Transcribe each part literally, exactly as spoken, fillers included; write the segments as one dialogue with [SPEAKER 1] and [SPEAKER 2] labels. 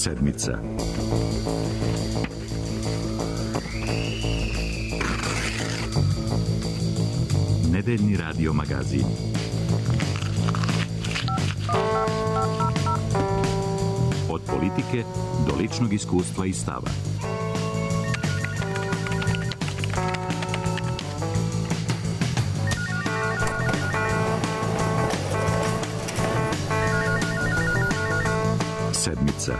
[SPEAKER 1] Sedmica. Nedeljni radio magazin. Od politike do ličnog iskustva i stava. Sedmica.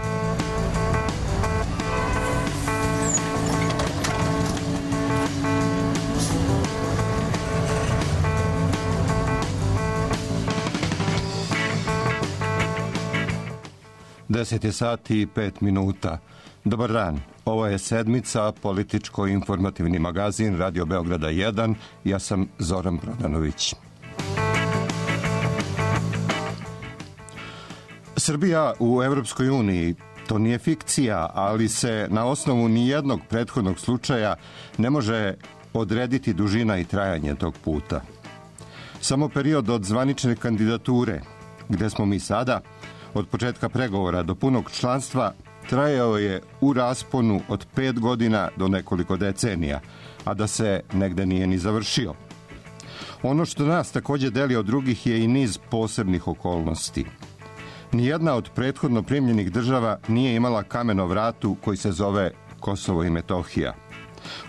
[SPEAKER 2] Deset je sati i pet minuta. Dobar dan, ovo je Sedmica, političko-informativni magazin Radio Beograda jedan. Ja sam Zoran Prodanović. Srbija u Evropskoj uniji, to nije fikcija, ali se na osnovu nijednog prethodnog slučaja ne može odrediti dužina i trajanje tog puta. Samo period od zvanične kandidature, gde smo mi sada, od početka pregovora do punog članstva, trajao je u rasponu od pet godina do nekoliko decenija, a da se negde nije ni završio. Ono što nas također deli od drugih je i niz posebnih okolnosti. Nijedna od prethodno primljenih država nije imala kamen o vratu koji se zove Kosovo i Metohija.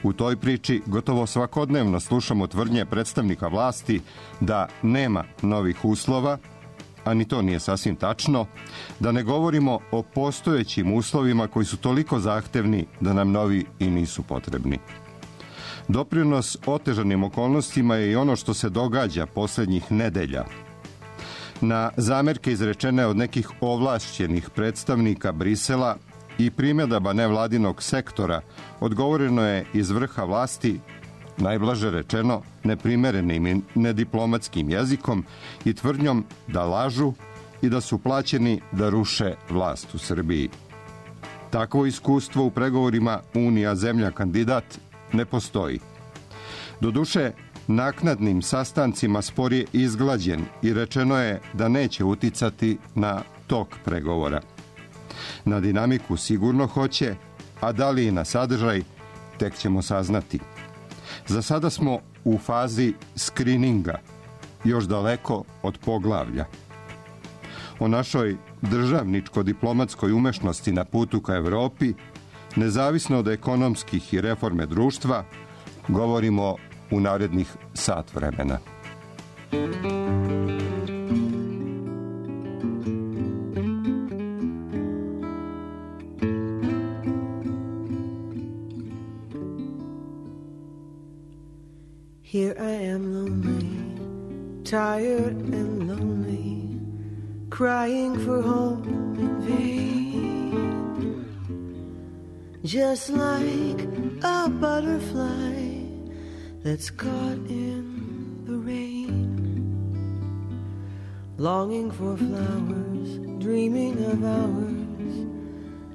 [SPEAKER 2] U toj priči gotovo svakodnevno slušamo tvrdnje predstavnika vlasti da nema novih uslova, a ni to nije sasvim tačno, da ne govorimo o postojećim uslovima koji su toliko zahtevni da nam novi i nisu potrebni. Doprinos otežanim okolnostima je i ono što se događa posljednjih nedelja. Na zamerke izrečene od nekih ovlašćenih predstavnika Brisela i primjedaba nevladinog sektora odgovoreno je iz vrha vlasti, najblaže rečeno, neprimerenim i nediplomatskim jezikom i tvrdnjom da lažu i da su plaćeni da ruše vlast u Srbiji. Takvo iskustvo u pregovorima Unija zemlja kandidat ne postoji. Doduše, naknadnim sastancima spor je izglađen i rečeno je da neće uticati na tok pregovora. Na dinamiku sigurno hoće, a da li i na sadržaj, tek ćemo saznati. Za sada smo u fazi skrininga, još daleko od poglavlja. O našoj državničko-diplomatskoj umešnosti na putu ka Evropi, nezavisno od ekonomskih i reforme društva, govorimo u narednih sat vremena.
[SPEAKER 3] Here I am lonely, tired and lonely, crying for home in vain. Just like a butterfly that's caught in the rain, longing for flowers, dreaming of hours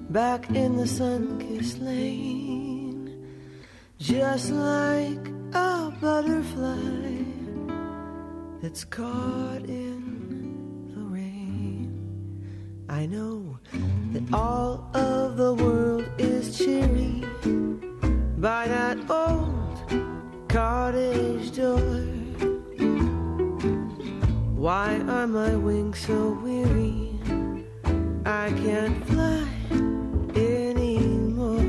[SPEAKER 3] back in the sun-kissed lane. Just like a butterfly that's caught in the rain. I know that all of the world is cheery by that old cottage door. Why are my wings so weary? I can't fly anymore.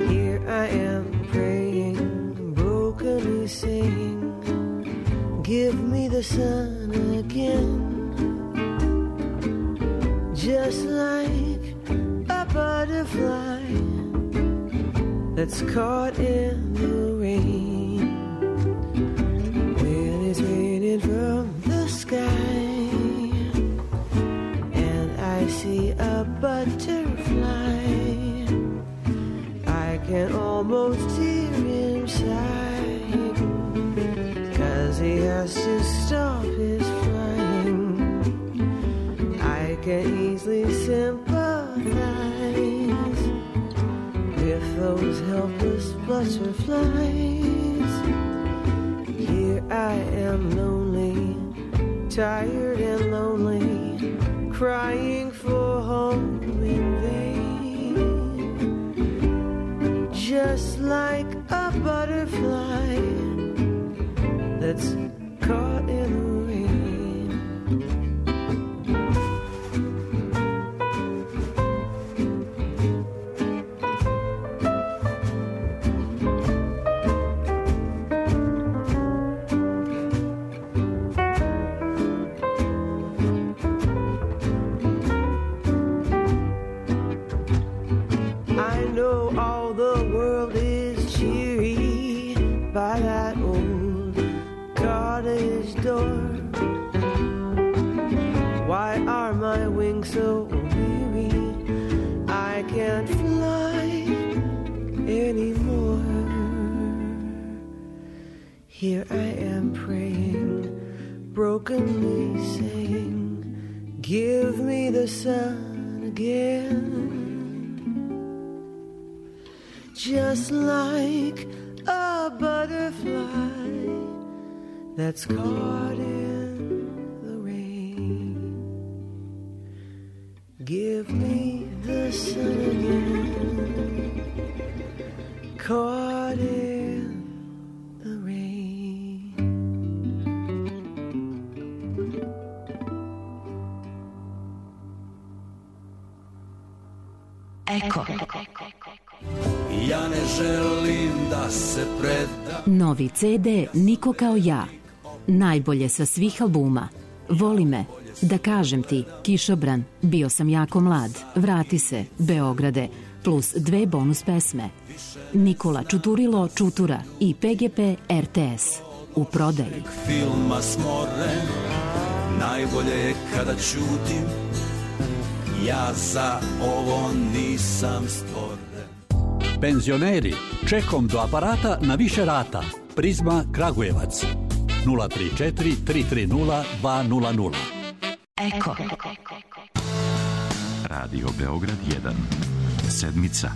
[SPEAKER 3] Here I am praying, brokenly saying, give me the sun again. Just like a butterfly that's caught in the rain. When it's raining from the sky and I see a butterfly, I can almost hear him sigh, 'cause he has to stop his flying. I can easily sympathize with those helpless butterflies. Here I am lonely, tired and lonely, crying for home. that's caught in the rain. I know all the world is cheery by that old cottage door. Why are my wings so weary? I can't fly anymore. Here I am praying, brokenly saying, give me the sun again. Just like a butterfly that's caught in the rain. Give me the sun again, caught in the rain.
[SPEAKER 4] Eko.
[SPEAKER 5] Ja ne želim da se predam.
[SPEAKER 4] Novi ce de Niko kao ja. Najbolje sa svih albuma. Voli me, da kažem ti, Kišobran, bio sam jako mlad, vrati se, Beograde, plus dve bonus pesme. Nikola Čuturilo Čutura i pe ge pe er te es. U prodaji.
[SPEAKER 5] Filma smoren, najbolje je kada ćutim. Ja za ovo nisam stvoren.
[SPEAKER 6] Penzioneri, čekom do aparata na više rata. Prizma Kragujevac. nula tri četiri tri tri nula dva nula nula.
[SPEAKER 4] Eko.
[SPEAKER 1] Radio Beograd jedan. Sedmica.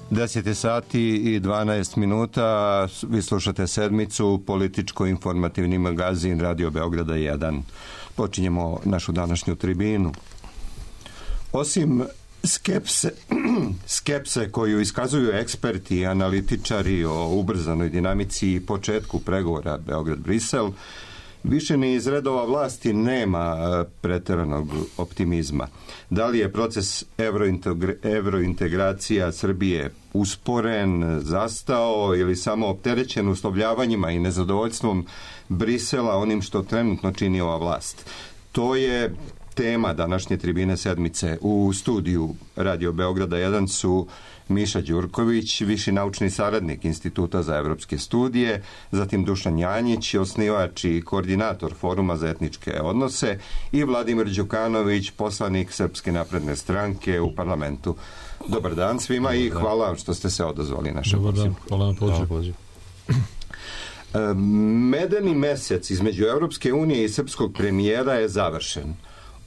[SPEAKER 2] deset sati i dvanaest minuta, vi slušate Sedmicu, političko-informativni magazin Radio Beograda jedan. Počinjemo našu današnju tribinu. Osim skepse, skepse koju iskazuju eksperti i analitičari o ubrzanoj dinamici i početku pregovora Beograd-Brisel, više ni iz redova vlasti nema preteranog optimizma. Da li je proces evrointegracija Srbije usporen, zastao ili samo opterećen uslovljavanjima i nezadovoljstvom Brisela onim što trenutno čini ova vlast? To je tema današnje tribine Sedmice. U studiju Radio Beograda jedan su Miša Đurković, viši naučni saradnik Instituta za evropske studije, zatim Dušan Janjić, osnivač i koordinator Foruma za etničke odnose, i Vladimir Đukanović, poslanik Srpske napredne stranke u parlamentu. Dobar dan svima i hvala vam što ste se odazvali našem pozivu.
[SPEAKER 7] Dobar dan, hvala vam pozivu.
[SPEAKER 2] Medeni mesec između Evropske unije i srpskog premijera je završen.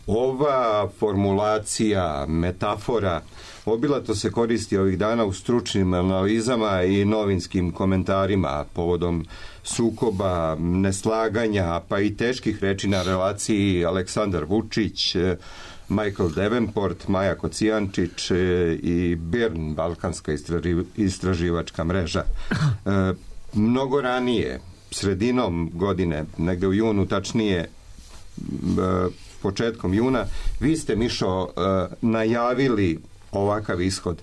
[SPEAKER 2] Ova formulacija, metafora, obilato se koristi ovih dana u stručnim analizama i novinskim komentarima povodom sukoba, neslaganja, pa i teških reči na relaciji Aleksandar Vučić, Michael Davenport, Maja Kocijančić i Birn, Balkanska istraživačka mreža. E, mnogo ranije, sredinom godine, negde u junu, tačnije e, početkom juna, vi ste, Mišo, e, najavili ovakav ishod.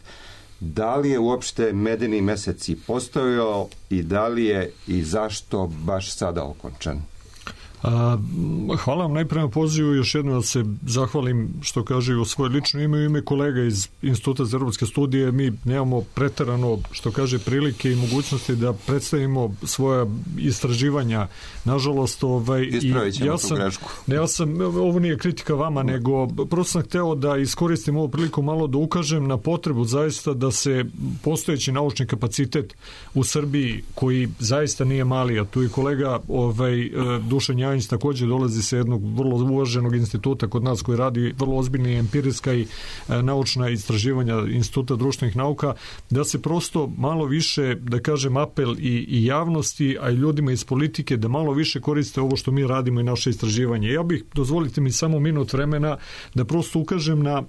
[SPEAKER 2] Da li je uopšte medeni mesec i postojao i da li je i zašto baš sada okončan?
[SPEAKER 7] A, hvala vam najprije na pozivu, još jednom da se zahvalim što kaže u svoje lično ime i ime kolega iz Instituta za evropske studije. Mi nemamo preterano, što kaže, prilike i mogućnosti da predstavimo svoja istraživanja. Nažalost, ovaj,
[SPEAKER 2] ispravit ćemo
[SPEAKER 7] ja
[SPEAKER 2] tu
[SPEAKER 7] sam,
[SPEAKER 2] grešku.
[SPEAKER 7] Ne, ja sam, ovo nije kritika vama, nego prosto sam hteo da iskoristim ovu priliku malo da ukažem na potrebu zaista da se postojeći naučni kapacitet u Srbiji, koji zaista nije mali, a tu i kolega ovaj, Dušan Janjić također dolazi sa jednog vrlo uvaženog instituta kod nas koji radi vrlo ozbiljna empirijska i e, naučna istraživanja Instituta društvenih nauka, da se prosto malo više, da kažem, apel i, i javnosti, a i ljudima iz politike da malo više koriste ovo što mi radimo i naše istraživanje. Ja bih, dozvolite mi samo minut vremena da prosto ukažem na e,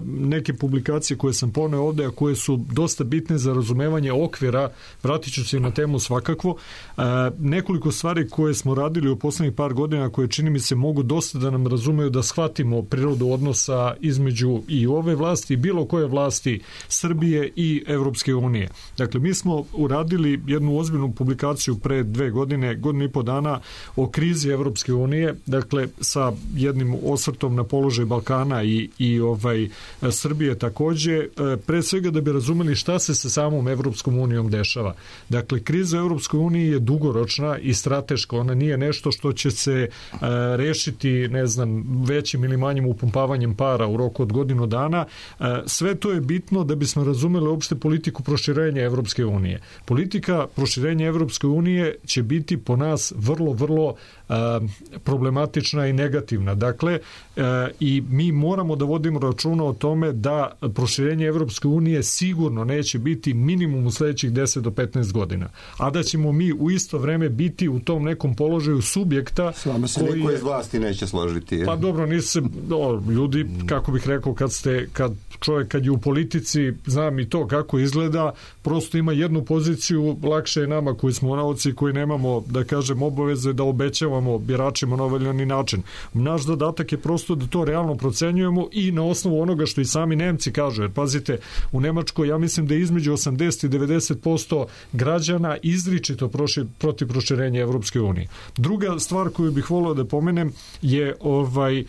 [SPEAKER 7] neke publikacije koje sam poneo ovde, a koje su dosta bitne za razumevanje okvira. Vratit ću se na temu svakako. E, nekoliko stvari koje smo radili u poslednjih par godina, koje čini mi se mogu dosta da nam razumeju, da shvatimo prirodu odnosa između i ove vlasti i bilo koje vlasti Srbije i Evropske unije. Dakle, mi smo uradili jednu ozbiljnu publikaciju pre dve godine, godinu i po dana, o krizi Evropske unije, dakle sa jednim osvrtom na položaj Balkana i, i ovaj Srbije takođe, pre svega da bi razumeli šta se sa samom Evropskom unijom dešava. Dakle, kriza u Evropskoj uniji je dugoročna i strateška, ona nije nešto što će se uh, rešiti, ne znam, većim ili manjim upumpavanjem para u roku od godinu dana. Uh, sve to je bitno da bismo razumeli uopšte politiku proširenja Evropske unije. Politika proširenja Evropske unije će biti po nas vrlo, vrlo uh, problematična i negativna. Dakle, uh, i mi moramo da vodimo računa o tome da proširenje Evropske unije sigurno neće biti minimum u sledećih deset do petnaest godina. A da ćemo mi u isto vreme biti u tom nekom položaju subjekta.
[SPEAKER 2] S vama se niko iz vlasti neće složiti. Je.
[SPEAKER 7] Pa dobro, nisu no, ljudi, kako bih rekao, kad ste, kad čovjek kad je u politici, znam i to kako izgleda, prosto ima jednu poziciju, lakše je nama koji smo nauci, koji nemamo, da kažem, obaveze da obećavamo biračima na ovaj način. Naš zadatak je prosto da to realno procenjujemo i na osnovu onoga što i sami Nemci kažu. Jer pazite, u Nemačkoj ja mislim da je između osamdeset i devedeset posto građana izričito proši, protiv proširenja Evropske unije. Druga stvar koju bih volio da pomenem je ovaj, uh,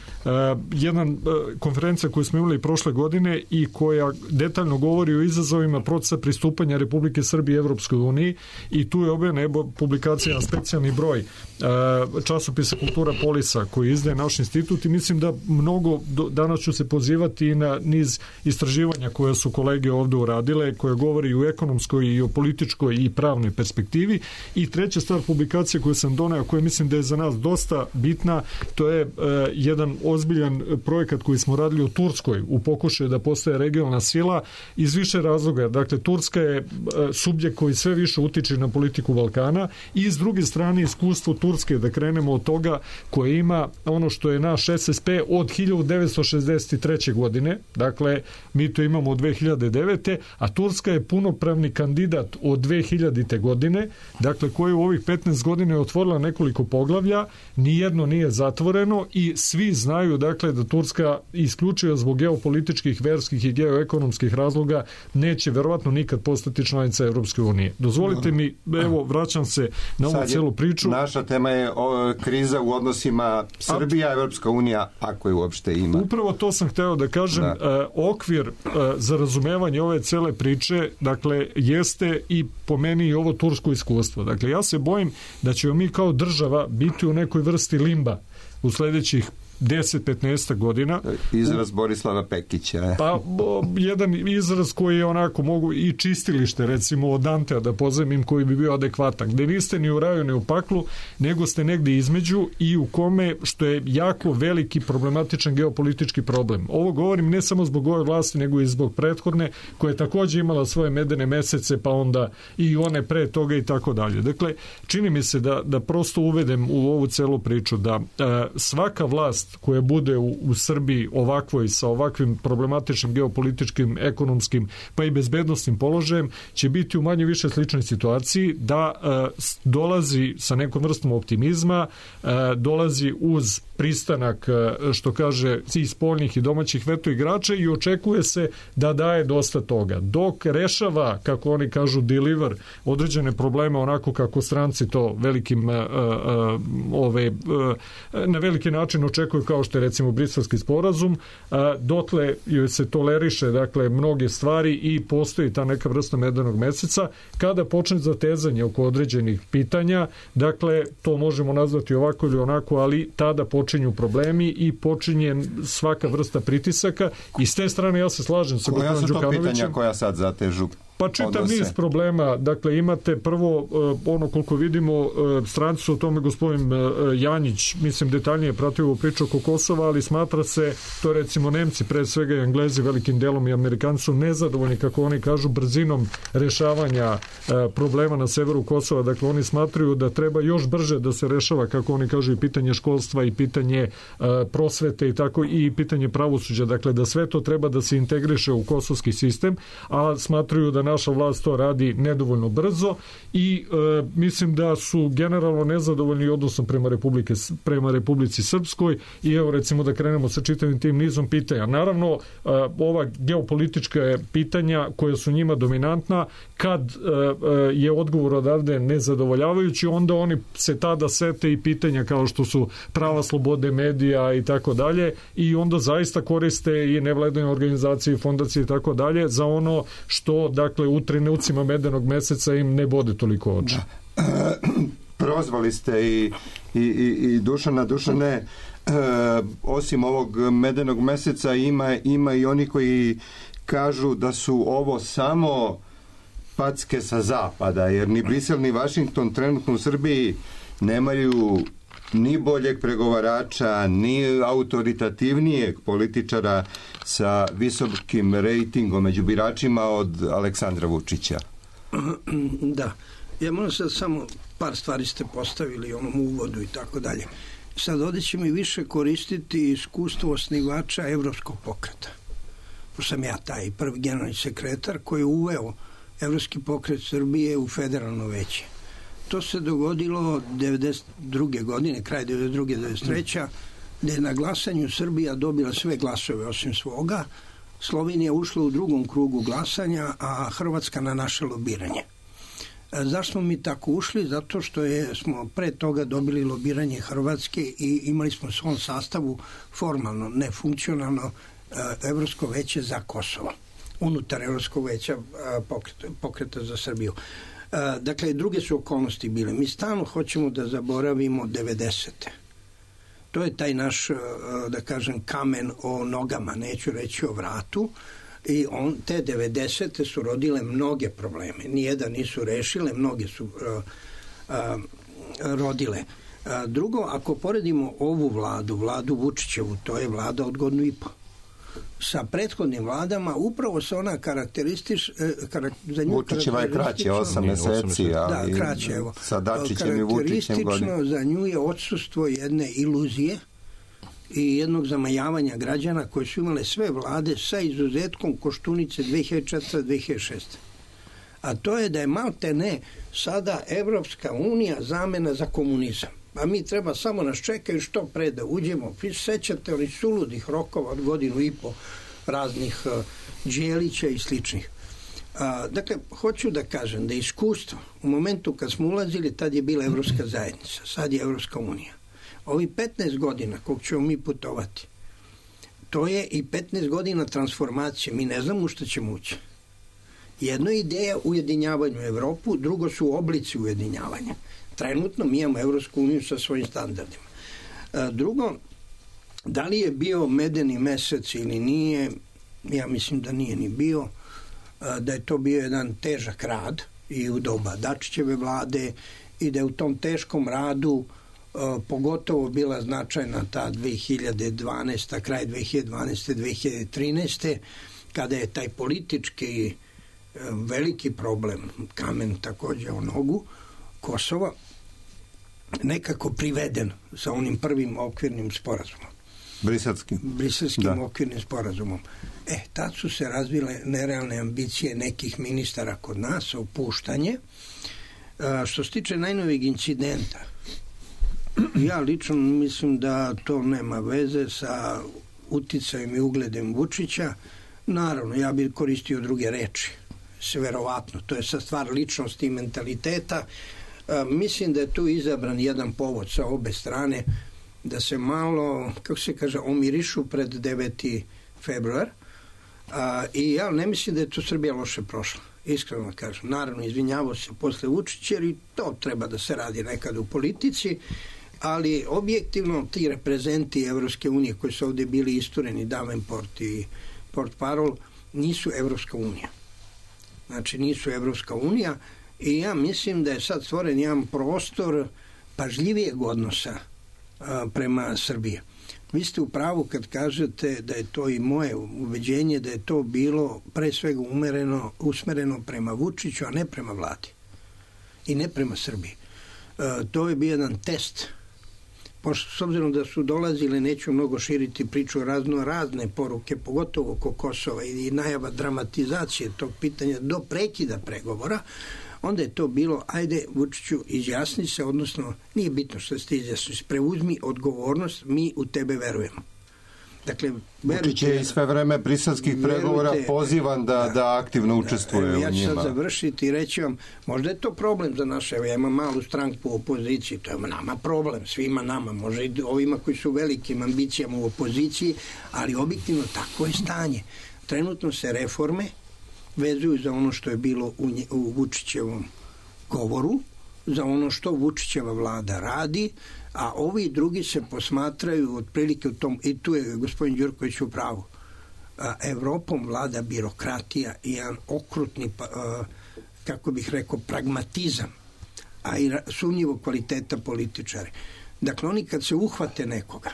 [SPEAKER 7] jedan uh, konferencija koju smo imali prošle godine i koja detaljno govori o izazovima procesa pristupanja Republike Srbije Evropskoj uniji, i tu je objavljena publikacija na specijalni broj uh, časopisa Kultura Polisa koji izdaje naš institut, i mislim da mnogo do, danas ću se pozivati i na niz istraživanja koje su kolege ovde uradile, koje govori o ekonomskoj i o političkoj i pravnoj perspektivi. I treća stvar, publikacija koju sam doneo, koja mislim da je za nas dosta bitna, to je uh, jedan ozbiljan projekat koji smo radili u Turskoj u pokušaju da postaje regionalna sila iz više razloga. Dakle, Turska je uh, subjekt koji sve više utiče na politiku Balkana, i s druge strane iskustvo Turske, da krenemo od toga, koje ima ono što je naš S S P od hiljadu devetsto šezdeset treće godine, dakle mi to imamo od dve hiljade devete, a Turska je punopravni kandidat od dve hiljadite godine, dakle koji u ovih petnaest godina je otvorila nekoliko poglavlja, nijedno nije zatvoreno, i svi znaju dakle da Turska isključivo zbog geopolitičkih, verskih i geoekonomskih razloga neće verovatno nikad postati članica Evropske unije. Dozvolite mi, evo, vraćam se na ovu celu priču.
[SPEAKER 2] Naša tema je o, kriza u odnosima Srbija, Evropska unija, ako je uopšte ima.
[SPEAKER 7] Upravo to sam hteo da kažem. Da. Uh, okvir uh, za razumevanje ove cele priče, dakle, jeste i po meni i ovo tursko iskustvo. Dakle, ja se bojim da ćemo mi kao država biti u nekoj vrsti limba u sledećih deset do petnaest godina.
[SPEAKER 2] Izraz Borislava Pekića.
[SPEAKER 7] Pa, bo, jedan izraz koji je onako mogu i čistilište, recimo od Dantea da pozemim, koji bi bio adekvatan, gde niste ni u raju ni u paklu, nego ste negde između, i u kome, što je jako veliki problematičan geopolitički problem. Ovo govorim ne samo zbog ove vlasti, nego i zbog prethodne, koja je takođe imala svoje medene mesece, pa onda i one pre toga i tako dalje. Dakle, čini mi se da, da prosto uvedem u ovu celu priču da a, svaka vlast koja bude u, u Srbiji ovakvoj, sa ovakvim problematičnim geopolitičkim, ekonomskim, pa i bezbednostnim položajem, će biti u manje više sličnoj situaciji, da uh, dolazi sa nekom vrstom optimizma, uh, dolazi uz pristanak, uh, što kaže, i spoljnih i domaćih veto igrača, i očekuje se da daje dosta toga. Dok rešava, kako oni kažu, deliver određene probleme onako kako stranci to velikim uh, uh, ove, uh, na veliki način očekuju, kao što je recimo Briselski sporazum, a, dotle joj se toleriše dakle mnoge stvari i postoji ta neka vrsta medenog meseca. Kada počne zatezanje oko određenih pitanja, dakle to možemo nazvati ovako ili onako, ali tada počinju problemi i počinje svaka vrsta pritisaka, i s te strane ja se slažem sa
[SPEAKER 2] gospodinom Đukanovićem. Koja su to pitanja koja sad zatežu?
[SPEAKER 7] Pa čitav
[SPEAKER 2] odnose.
[SPEAKER 7] niz problema. Dakle, imate prvo, ono koliko vidimo, stranci su o tome gospodin Janjić, mislim, detaljnije pratio ovu priču oko Kosova, ali smatra se, to recimo Nemci, pre svega i Englezi, velikim delom i Amerikanci su nezadovoljni, kako oni kažu, brzinom rešavanja problema na severu Kosova. Dakle, oni smatraju da treba još brže da se rešava, kako oni kažu, i pitanje školstva i pitanje prosvete i tako, i pitanje pravosuđa. Dakle, da sve to treba da se integriše u kosovski sistem, a smatruju da naša vlast to radi nedovoljno brzo i e, mislim da su generalno nezadovoljni odnosom prema, Republike, prema Republici Srpskoj i evo recimo da krenemo sa čitavim tim nizom pitanja. Naravno, e, ova geopolitička pitanja koja su njima dominantna, kad e, je odgovor odavde nezadovoljavajući, onda oni se tada sete i pitanja kao što su prava slobode medija i tako dalje i onda zaista koriste i nevladine organizacije i fondacije i tako dalje za ono što, dakle, u trenucima medenog meseca im ne bode toliko oči.
[SPEAKER 2] Da. Prozvali ste i, i, i Dušana. Dušane, e, osim ovog medenog meseca ima, ima i oni koji kažu da su ovo samo packe sa zapada, jer ni Brisel ni Vašington trenutno u Srbiji nemaju ni boljeg pregovarača, ni autoritativnijeg političara sa visokim rejtingom među biračima od Aleksandra Vučića.
[SPEAKER 8] Da. Ja moram sad samo par stvari ste postavili u onom uvodu i tako dalje. Sad ovdje ćemo i više koristiti iskustvo osnivača Evropskog pokreta. Pošto sam ja taj prvi generalni sekretar koji je uveo Evropski pokret Srbije u federalno veće. To se dogodilo devedeset druge godine, kraj devedeset druge devedeset treće gdje je na glasanju Srbija dobila sve glasove osim svoga. Slovenija ušla u drugom krugu glasanja, a Hrvatska na naše lobiranje. Zašto smo mi tako ušli? Zato što je, smo pre toga dobili lobiranje Hrvatske i imali smo u svom sastavu formalno, ne funkcionalno, Evropsko veće za Kosovo. Unutar Evropskog veća pokreta, pokreta za Srbiju. Dakle, druge su okolnosti bile. Mi stalno hoćemo da zaboravimo devedesete. To je taj naš, da kažem, kamen o nogama, neću reći o vratu. I on, te devedesete su rodile mnoge probleme. Nijedan nisu rešile, mnoge su uh, uh, rodile. Uh, drugo, ako poredimo ovu vladu, vladu Vučićevu, to je vlada od godinu i po. Sa prethodnim vladama upravo se ona karakteristiš... Karak, za nju
[SPEAKER 2] Vučićeva je kraće, osam meseci, ali
[SPEAKER 8] da, kraće, evo.
[SPEAKER 2] Sa Dačićem i Vučićem godinu.
[SPEAKER 8] Karakteristično za nju je odsustvo jedne iluzije i jednog zamajavanja građana koje su imale sve vlade sa izuzetkom Koštunice dve hiljade četvrte do dve hiljade šeste. A to je da je malte ne sada Evropska unija zamena za komunizam. A mi treba samo nas čekaju što pre da uđemo. Vi sećate onih suludih rokova od godinu i po raznih uh, Đelića i sličnih. Uh, dakle, hoću da kažem da iskustvo u momentu kad smo ulazili, tad je bila Evropska zajednica, sad je Evropska unija. Ovi petnaest godina kog ćemo mi putovati, to je i petnaest godina transformacije. Mi ne znamo u što ćemo ući. Jedno je ideja ujedinjavanju Evropu, drugo su oblici ujedinjavanja. Trenutno mi imamo Evropsku uniju sa svojim standardima. Drugo, da li je bio medeni mesec ili nije, ja mislim da nije ni bio, da je to bio jedan težak rad i u doba Dačićeve vlade i da je u tom teškom radu pogotovo bila značajna ta dve hiljade dvanaeste. kraj dve hiljade dvanaeste. dve hiljade trinaeste. kada je taj politički veliki problem, kamen također o nogu Kosova, nekako priveden sa onim prvim okvirnim sporazumom.
[SPEAKER 2] Briselskim.
[SPEAKER 8] Briselskim
[SPEAKER 2] da.
[SPEAKER 8] okvirnim sporazumom. E, tad su se razvile nerealne ambicije nekih ministara kod nas, opuštanje. A, što se tiče najnovijeg incidenta, ja lično mislim da to nema veze sa uticajem i ugledem Vučića. Naravno, ja bih koristio druge reči. Sve verovatno. To je sa stvar ličnosti i mentaliteta. A, mislim da je tu izabran jedan povod sa obe strane da se malo, kako se kaže, omirišu pred deveti februar. A, I ja ne mislim da je to Srbija loše prošla. Iskreno kažem. Naravno, izvinjavao se posle Vučića, jer i to treba da se radi nekad u politici, ali objektivno ti reprezenti Evropske unije koji su ovdje bili istureni, Davenport i Portparol, nisu Evropska unija. znači nisu Evropska unija, i ja mislim da je sad stvoren jedan prostor pažljivijeg odnosa a, prema Srbiji. Vi ste u pravu kad kažete da je to i moje ubeđenje da je to bilo pre svega umereno, usmereno prema Vučiću, a ne prema vladi i ne prema Srbiji. E, to je bio jedan test. Pošto, s obzirom da su dolazile, neću mnogo širiti priču, razno razne poruke, pogotovo oko Kosova i najava dramatizacije tog pitanja do prekida pregovora, onda je to bilo, ajde Vučiću, izjasni se, odnosno nije bitno što ste izjasni, preuzmi odgovornost, mi u tebe verujemo. Dakle,
[SPEAKER 2] Vučić je i sve vreme briselskih pregovora pozivan da, da, da aktivno učestvuje
[SPEAKER 8] da,
[SPEAKER 2] u njima.
[SPEAKER 8] Ja ću sad završiti i reći vam, možda je to problem za naše, evo ja imam malu stranku u opoziciji, to je nama problem, svima nama, može i ovima koji su velikim ambicijama u opoziciji, ali objektivno tako je stanje. Trenutno se reforme vezuju za ono što je bilo u, nje, u Vučićevom govoru, za ono što Vučićeva vlada radi, a ovi drugi se posmatraju otprilike u tom, i tu je gospodin Đurković u pravu, a, Evropom vlada birokratija i jedan okrutni, a, kako bih rekao, pragmatizam, a i sumnjivo kvaliteta političari. Dakle, oni kad se uhvate nekoga,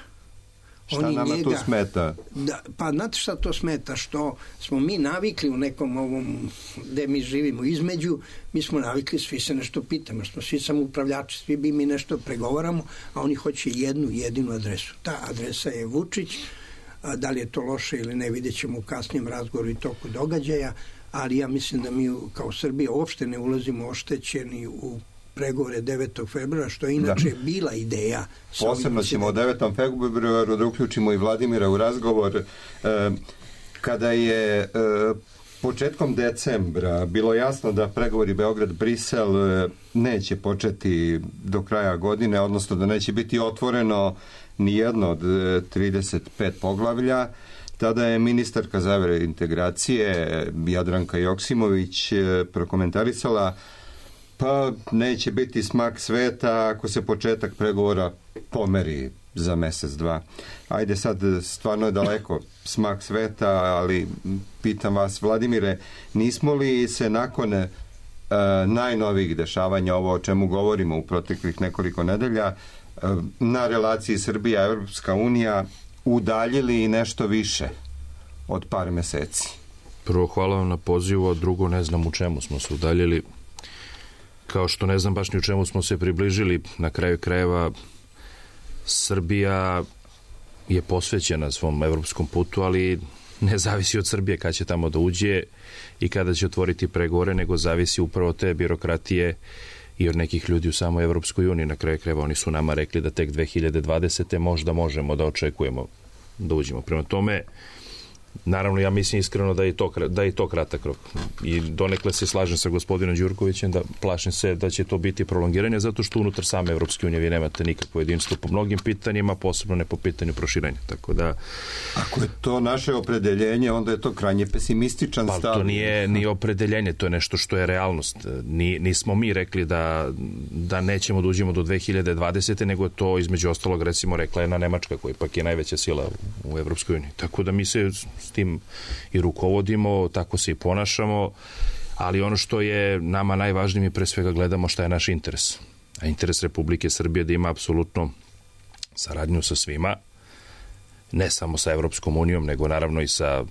[SPEAKER 2] šta
[SPEAKER 8] oni
[SPEAKER 2] nama
[SPEAKER 8] njega,
[SPEAKER 2] tu smeta?
[SPEAKER 8] Da, pa znate šta to smeta? Što smo mi navikli u nekom ovom gde mi živimo između, mi smo navikli, svi se nešto pitamo, smo svi samoupravljači, svi bi mi nešto pregovaramo, a oni hoće jednu jedinu adresu. Ta adresa je Vučić, a da li je to loše ili ne, vidjet ćemo u kasnijem razgovoru i toku događaja, ali ja mislim da mi kao Srbija uopšte ne ulazimo oštećeni u pregovore devetog februara, što je inače da. bila ideja.
[SPEAKER 2] Posebno ćemo o devetom februaru da uključimo i Vladimira u razgovor. E, kada je e, početkom decembra bilo jasno da pregovori Beograd-Brisel e, neće početi do kraja godine, odnosno da neće biti otvoreno ni jedno od trideset pet poglavlja, tada je ministarka za evrointegracije Jadranka Joksimović e, prokomentarisala: pa neće biti smak sveta ako se početak pregovora pomeri za mesec, dva. Ajde sad, stvarno je daleko smak sveta, ali pitam vas, Vladimire, nismo li se nakon e, najnovijih dešavanja, ovo o čemu govorimo u proteklih nekoliko nedelja, e, na relaciji Srbija-Evropska unija udaljili i nešto više od par meseci?
[SPEAKER 9] Prvo, hvala vam na pozivu, a drugo, ne znam u čemu smo se udaljili. Kao što ne znam baš ni u čemu smo se približili. Na kraju krajeva Srbija je posvećena svom evropskom putu, ali ne zavisi od Srbije kada će tamo da uđe i kada će otvoriti pregovore, nego zavisi upravo te birokratije i od nekih ljudi u samoj Evropskoj uniji. Na kraju krajeva oni su nama rekli da tek dve hiljade dvadesete možda možemo da očekujemo da uđemo. Prema tome, naravno, ja mislim iskreno da je to, da je to kratak rok. I donekle se slažem sa gospodinom Đurkovićem da plašim se da će to biti prolongiranje, zato što unutar same Evropske unije vi nemate nikakvo jedinstvo po mnogim pitanjima, posebno ne po pitanju proširenja. Tako da...
[SPEAKER 2] Ako je to naše opredeljenje, onda je to krajnje pesimističan
[SPEAKER 9] pa,
[SPEAKER 2] stav.
[SPEAKER 9] To nije ni opredeljenje, to je nešto što je realnost. Ni, nismo mi rekli da, da nećemo da uđemo do dve hiljade dvadesete, nego to između ostalog recimo rekla jedna Nemačka, koja ipak je najveća sila u, u Evropskoj uniji. Tako da mi se s tim i rukovodimo, tako se i ponašamo, ali ono što je nama najvažnije, mi pre svega gledamo šta je naš interes. A interes Republike Srbije da ima apsolutno saradnju sa svima, ne samo sa Evropskom unijom, nego naravno i sa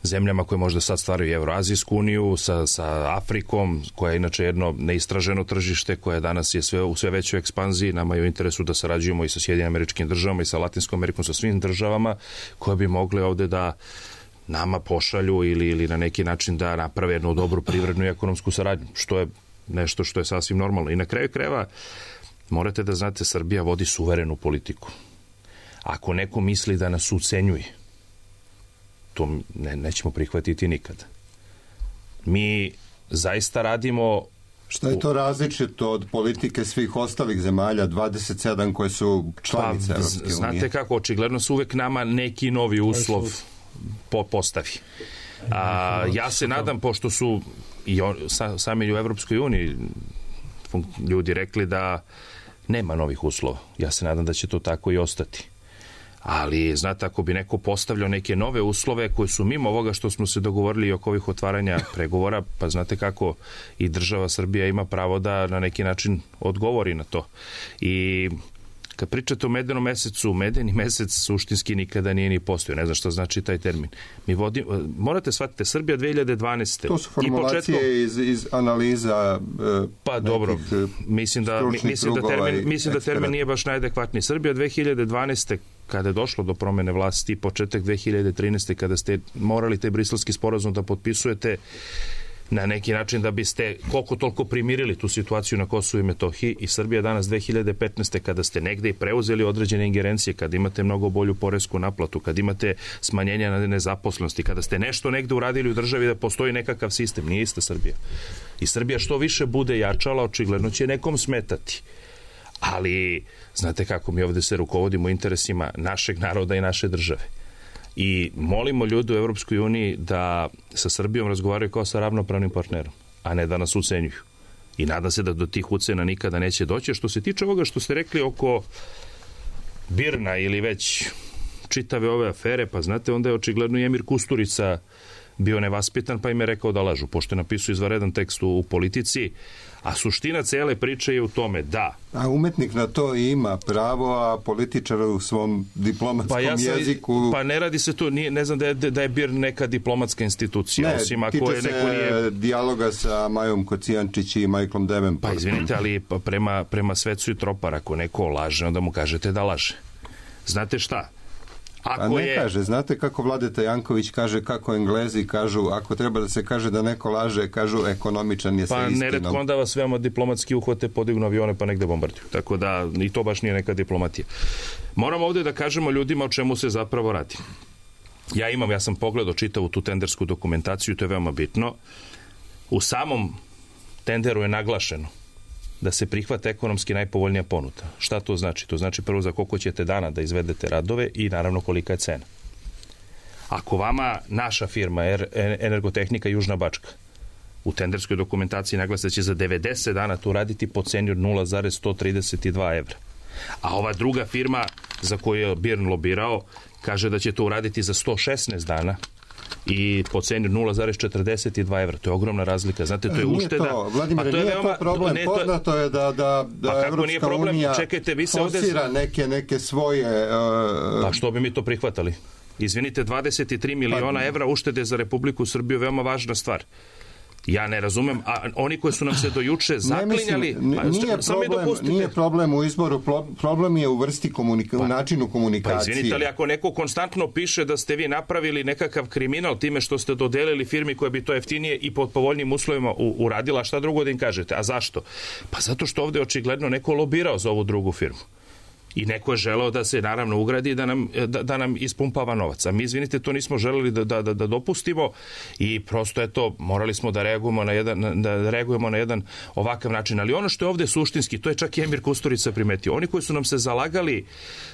[SPEAKER 9] zemljama koje možda sad stvaraju Evroazijsku uniju, sa, sa Afrikom, koja je inače jedno neistraženo tržište, koje danas je sve, u sve većoj ekspanziji. Nama je u interesu da sarađujemo i sa Sjedinim Američkim Državama i sa Latinskom Amerikom, sa svim državama koje bi mogle ovde da nama pošalju ili, ili na neki način da naprave jednu dobru privrednu i ekonomsku saradnju, što je nešto što je sasvim normalno. I na kraju krajeva morate da znate, Srbija vodi suverenu politiku. Ako neko misli da nas ucenjuje, to ne, nećemo prihvatiti nikada. Mi zaista radimo...
[SPEAKER 2] Šta je to različito od politike svih ostalih zemalja, dvadeset sedam koje su članice
[SPEAKER 9] pa,
[SPEAKER 2] Evropske unije?
[SPEAKER 9] Znate kako, očigledno su uvek nama neki novi uslov po, postavi. A, ja se nadam, pošto su i on, sa, sami u Evropskoj uniji ljudi rekli da nema novih uslova. Ja se nadam da će to tako i ostati. Ali, znate, ako bi neko postavljao neke nove uslove koji su mimo ovoga što smo se dogovorili oko ovih otvaranja pregovora, pa znate kako i država Srbija ima pravo da na neki način odgovori na to. I kad pričate o medenom mesecu, medeni mesec suštinski nikada nije ni postojao. Ne znam što znači taj termin. Mi vodim, morate shvatiti, Srbija dve hiljade dvanaeste.
[SPEAKER 2] To su formulacije početkom, iz, iz analiza e,
[SPEAKER 9] pa dobro, mislim da, mislim da termin, mislim da termin nije baš najadekvatniji. Srbija dve hiljade dvanaeste kada je došlo do promene vlasti, početak dve hiljade trinaeste kada ste morali taj briselski sporazum da potpisujete na neki način da biste koliko toliko primirili tu situaciju na Kosovu i Metohiji, i Srbija danas dve hiljade petnaeste kada ste negde i preuzeli određene ingerencije, kada imate mnogo bolju poresku naplatu, kada imate smanjenje na nezaposlenosti, kada ste nešto negde uradili u državi da postoji nekakav sistem, nije ista Srbija. I Srbija što više bude jačala, očigledno će nekom smetati. Ali, znate kako, mi ovde se rukovodimo interesima našeg naroda i naše države. I molimo ljude u Evropskoj uniji da sa Srbijom razgovaraju kao sa ravnopravnim partnerom, a ne da nas ucenjuju. I nadam se da do tih ucena nikada neće doći. Što se tiče ovoga što ste rekli oko Birna ili već čitave ove afere, pa znate, onda je očigledno i Emir Kusturica bio nevaspitan, pa im je rekao da lažu, pošto je napisao izvanredan tekst u, u Politici, a suština cele priče je u tome da...
[SPEAKER 2] A umetnik na to ima pravo, a političar u svom diplomatskom
[SPEAKER 9] pa ja sam,
[SPEAKER 2] jeziku...
[SPEAKER 9] Pa ne radi se to, nije, ne znam da je, da je B I R neka diplomatska institucija,
[SPEAKER 2] ne,
[SPEAKER 9] osim ako
[SPEAKER 2] tiče
[SPEAKER 9] je
[SPEAKER 2] se
[SPEAKER 9] neko nije...
[SPEAKER 2] dijaloga sa Majom Kocijančić i Michaelom Davenportom.
[SPEAKER 9] Pa izvinite, ali prema, prema Svecu i Tropar, ako neko laže, onda mu kažete da laže. Znate šta? Ako
[SPEAKER 2] A ne
[SPEAKER 9] je...
[SPEAKER 2] kaže, znate kako Vladeta Janković kaže, kako Englezi kažu, ako treba da se kaže da neko laže, kažu ekonomičan je sa
[SPEAKER 9] pa,
[SPEAKER 2] istinom. Pa
[SPEAKER 9] neretko onda vas veoma diplomatski uhvate, podignu avione pa negde bombarduju. Tako da i to baš nije neka diplomatija. Moramo ovde da kažemo ljudima o čemu se zapravo radi. Ja imam, ja sam pogledao čitavu tu tendersku dokumentaciju, to je veoma bitno. U samom tenderu je naglašeno da se prihvata ekonomski najpovoljnija ponuda. Šta to znači? To znači prvo za koliko ćete dana da izvedete radove i naravno kolika je cena. Ako vama naša firma Energotehnika Južna Bačka u tenderskoj dokumentaciji naglasa da će za devedeset dana to raditi po ceni od nula zarez sto trideset dva evra, a ova druga firma za koju je B I R N lobirao kaže da će to uraditi za sto šesnaest dana i po ceni nula zarez četrdeset dva evra. To je ogromna razlika. Znate, to je
[SPEAKER 2] nije
[SPEAKER 9] ušteda.
[SPEAKER 2] To, Vladimir,
[SPEAKER 9] pa to je
[SPEAKER 2] nije
[SPEAKER 9] veoma,
[SPEAKER 2] to problem.
[SPEAKER 9] Ne,
[SPEAKER 2] Poznato je da, da, da
[SPEAKER 9] pa
[SPEAKER 2] Evropska
[SPEAKER 9] problem?
[SPEAKER 2] unija
[SPEAKER 9] Čekajte, vi se
[SPEAKER 2] forsira ovde... neke, neke svoje... Uh...
[SPEAKER 9] Pa što bi mi to prihvatali? Izvinite, dvadeset tri miliona pa... evra uštede za Republiku Srbiju, veoma važna stvar. Ja ne razumem, a oni koji su nam se do juče zaklinjali...
[SPEAKER 2] Ne mislim, nije, problem, nije problem u izboru, problem je u vrsti komunika, pa, u načinu komunikacije.
[SPEAKER 9] Pa izvinite, ali ako neko konstantno piše da ste vi napravili nekakav kriminal time što ste dodelili firmi koja bi to jeftinije i pod povoljnim uslovima uradila, šta drugo da im kažete? A zašto? Pa zato što ovde očigledno neko lobirao za ovu drugu firmu. I neko je želeo da se naravno ugradi da nam, da, da nam ispumpava novac. A mi, izvinite, to nismo želeli da, da, da dopustimo i prosto je to, morali smo da reagujemo na jedan, da reagujemo na jedan ovakav način. Ali ono što je ovde suštinski, to je čak i Emir Kusturica primetio. Oni koji su nam se zalagali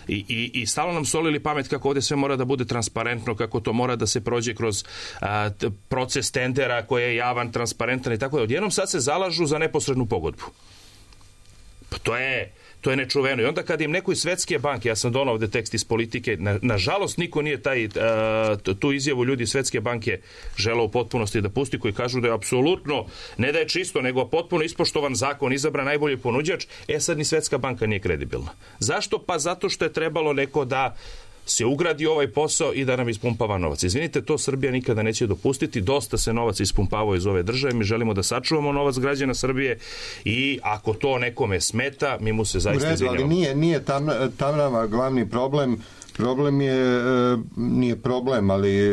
[SPEAKER 9] i, i, i stalno nam solili pamet kako ovde sve mora da bude transparentno, kako to mora da se prođe kroz a, proces tendera koji je javan, transparentan i tako da. Odjednom sad se zalažu za neposrednu pogodbu. Pa to je... To je nečuveno. I onda kad im neko iz Svetske banke, ja sam donao ovde tekst iz Politike, na, nažalost niko nije taj, a, tu izjavu ljudi iz Svetske banke želeo u potpunosti da pusti, koji kažu da je apsolutno, ne da je čisto, nego potpuno ispoštovan zakon, izabran najbolji ponuđač, e sad ni Svetska banka nije kredibilna. Zašto? Pa zato što je trebalo neko da se ugradi ovaj posao i da nam ispumpava novac. Izvinite, to Srbija nikada neće dopustiti. Dosta se novac ispumpavao iz ove države. Mi želimo da sačuvamo novac građana Srbije i ako to nekome smeta, mi mu se zaista izvinjavamo.
[SPEAKER 2] Ali nije, nije tam, tam nama glavni problem. Problem je, nije problem, ali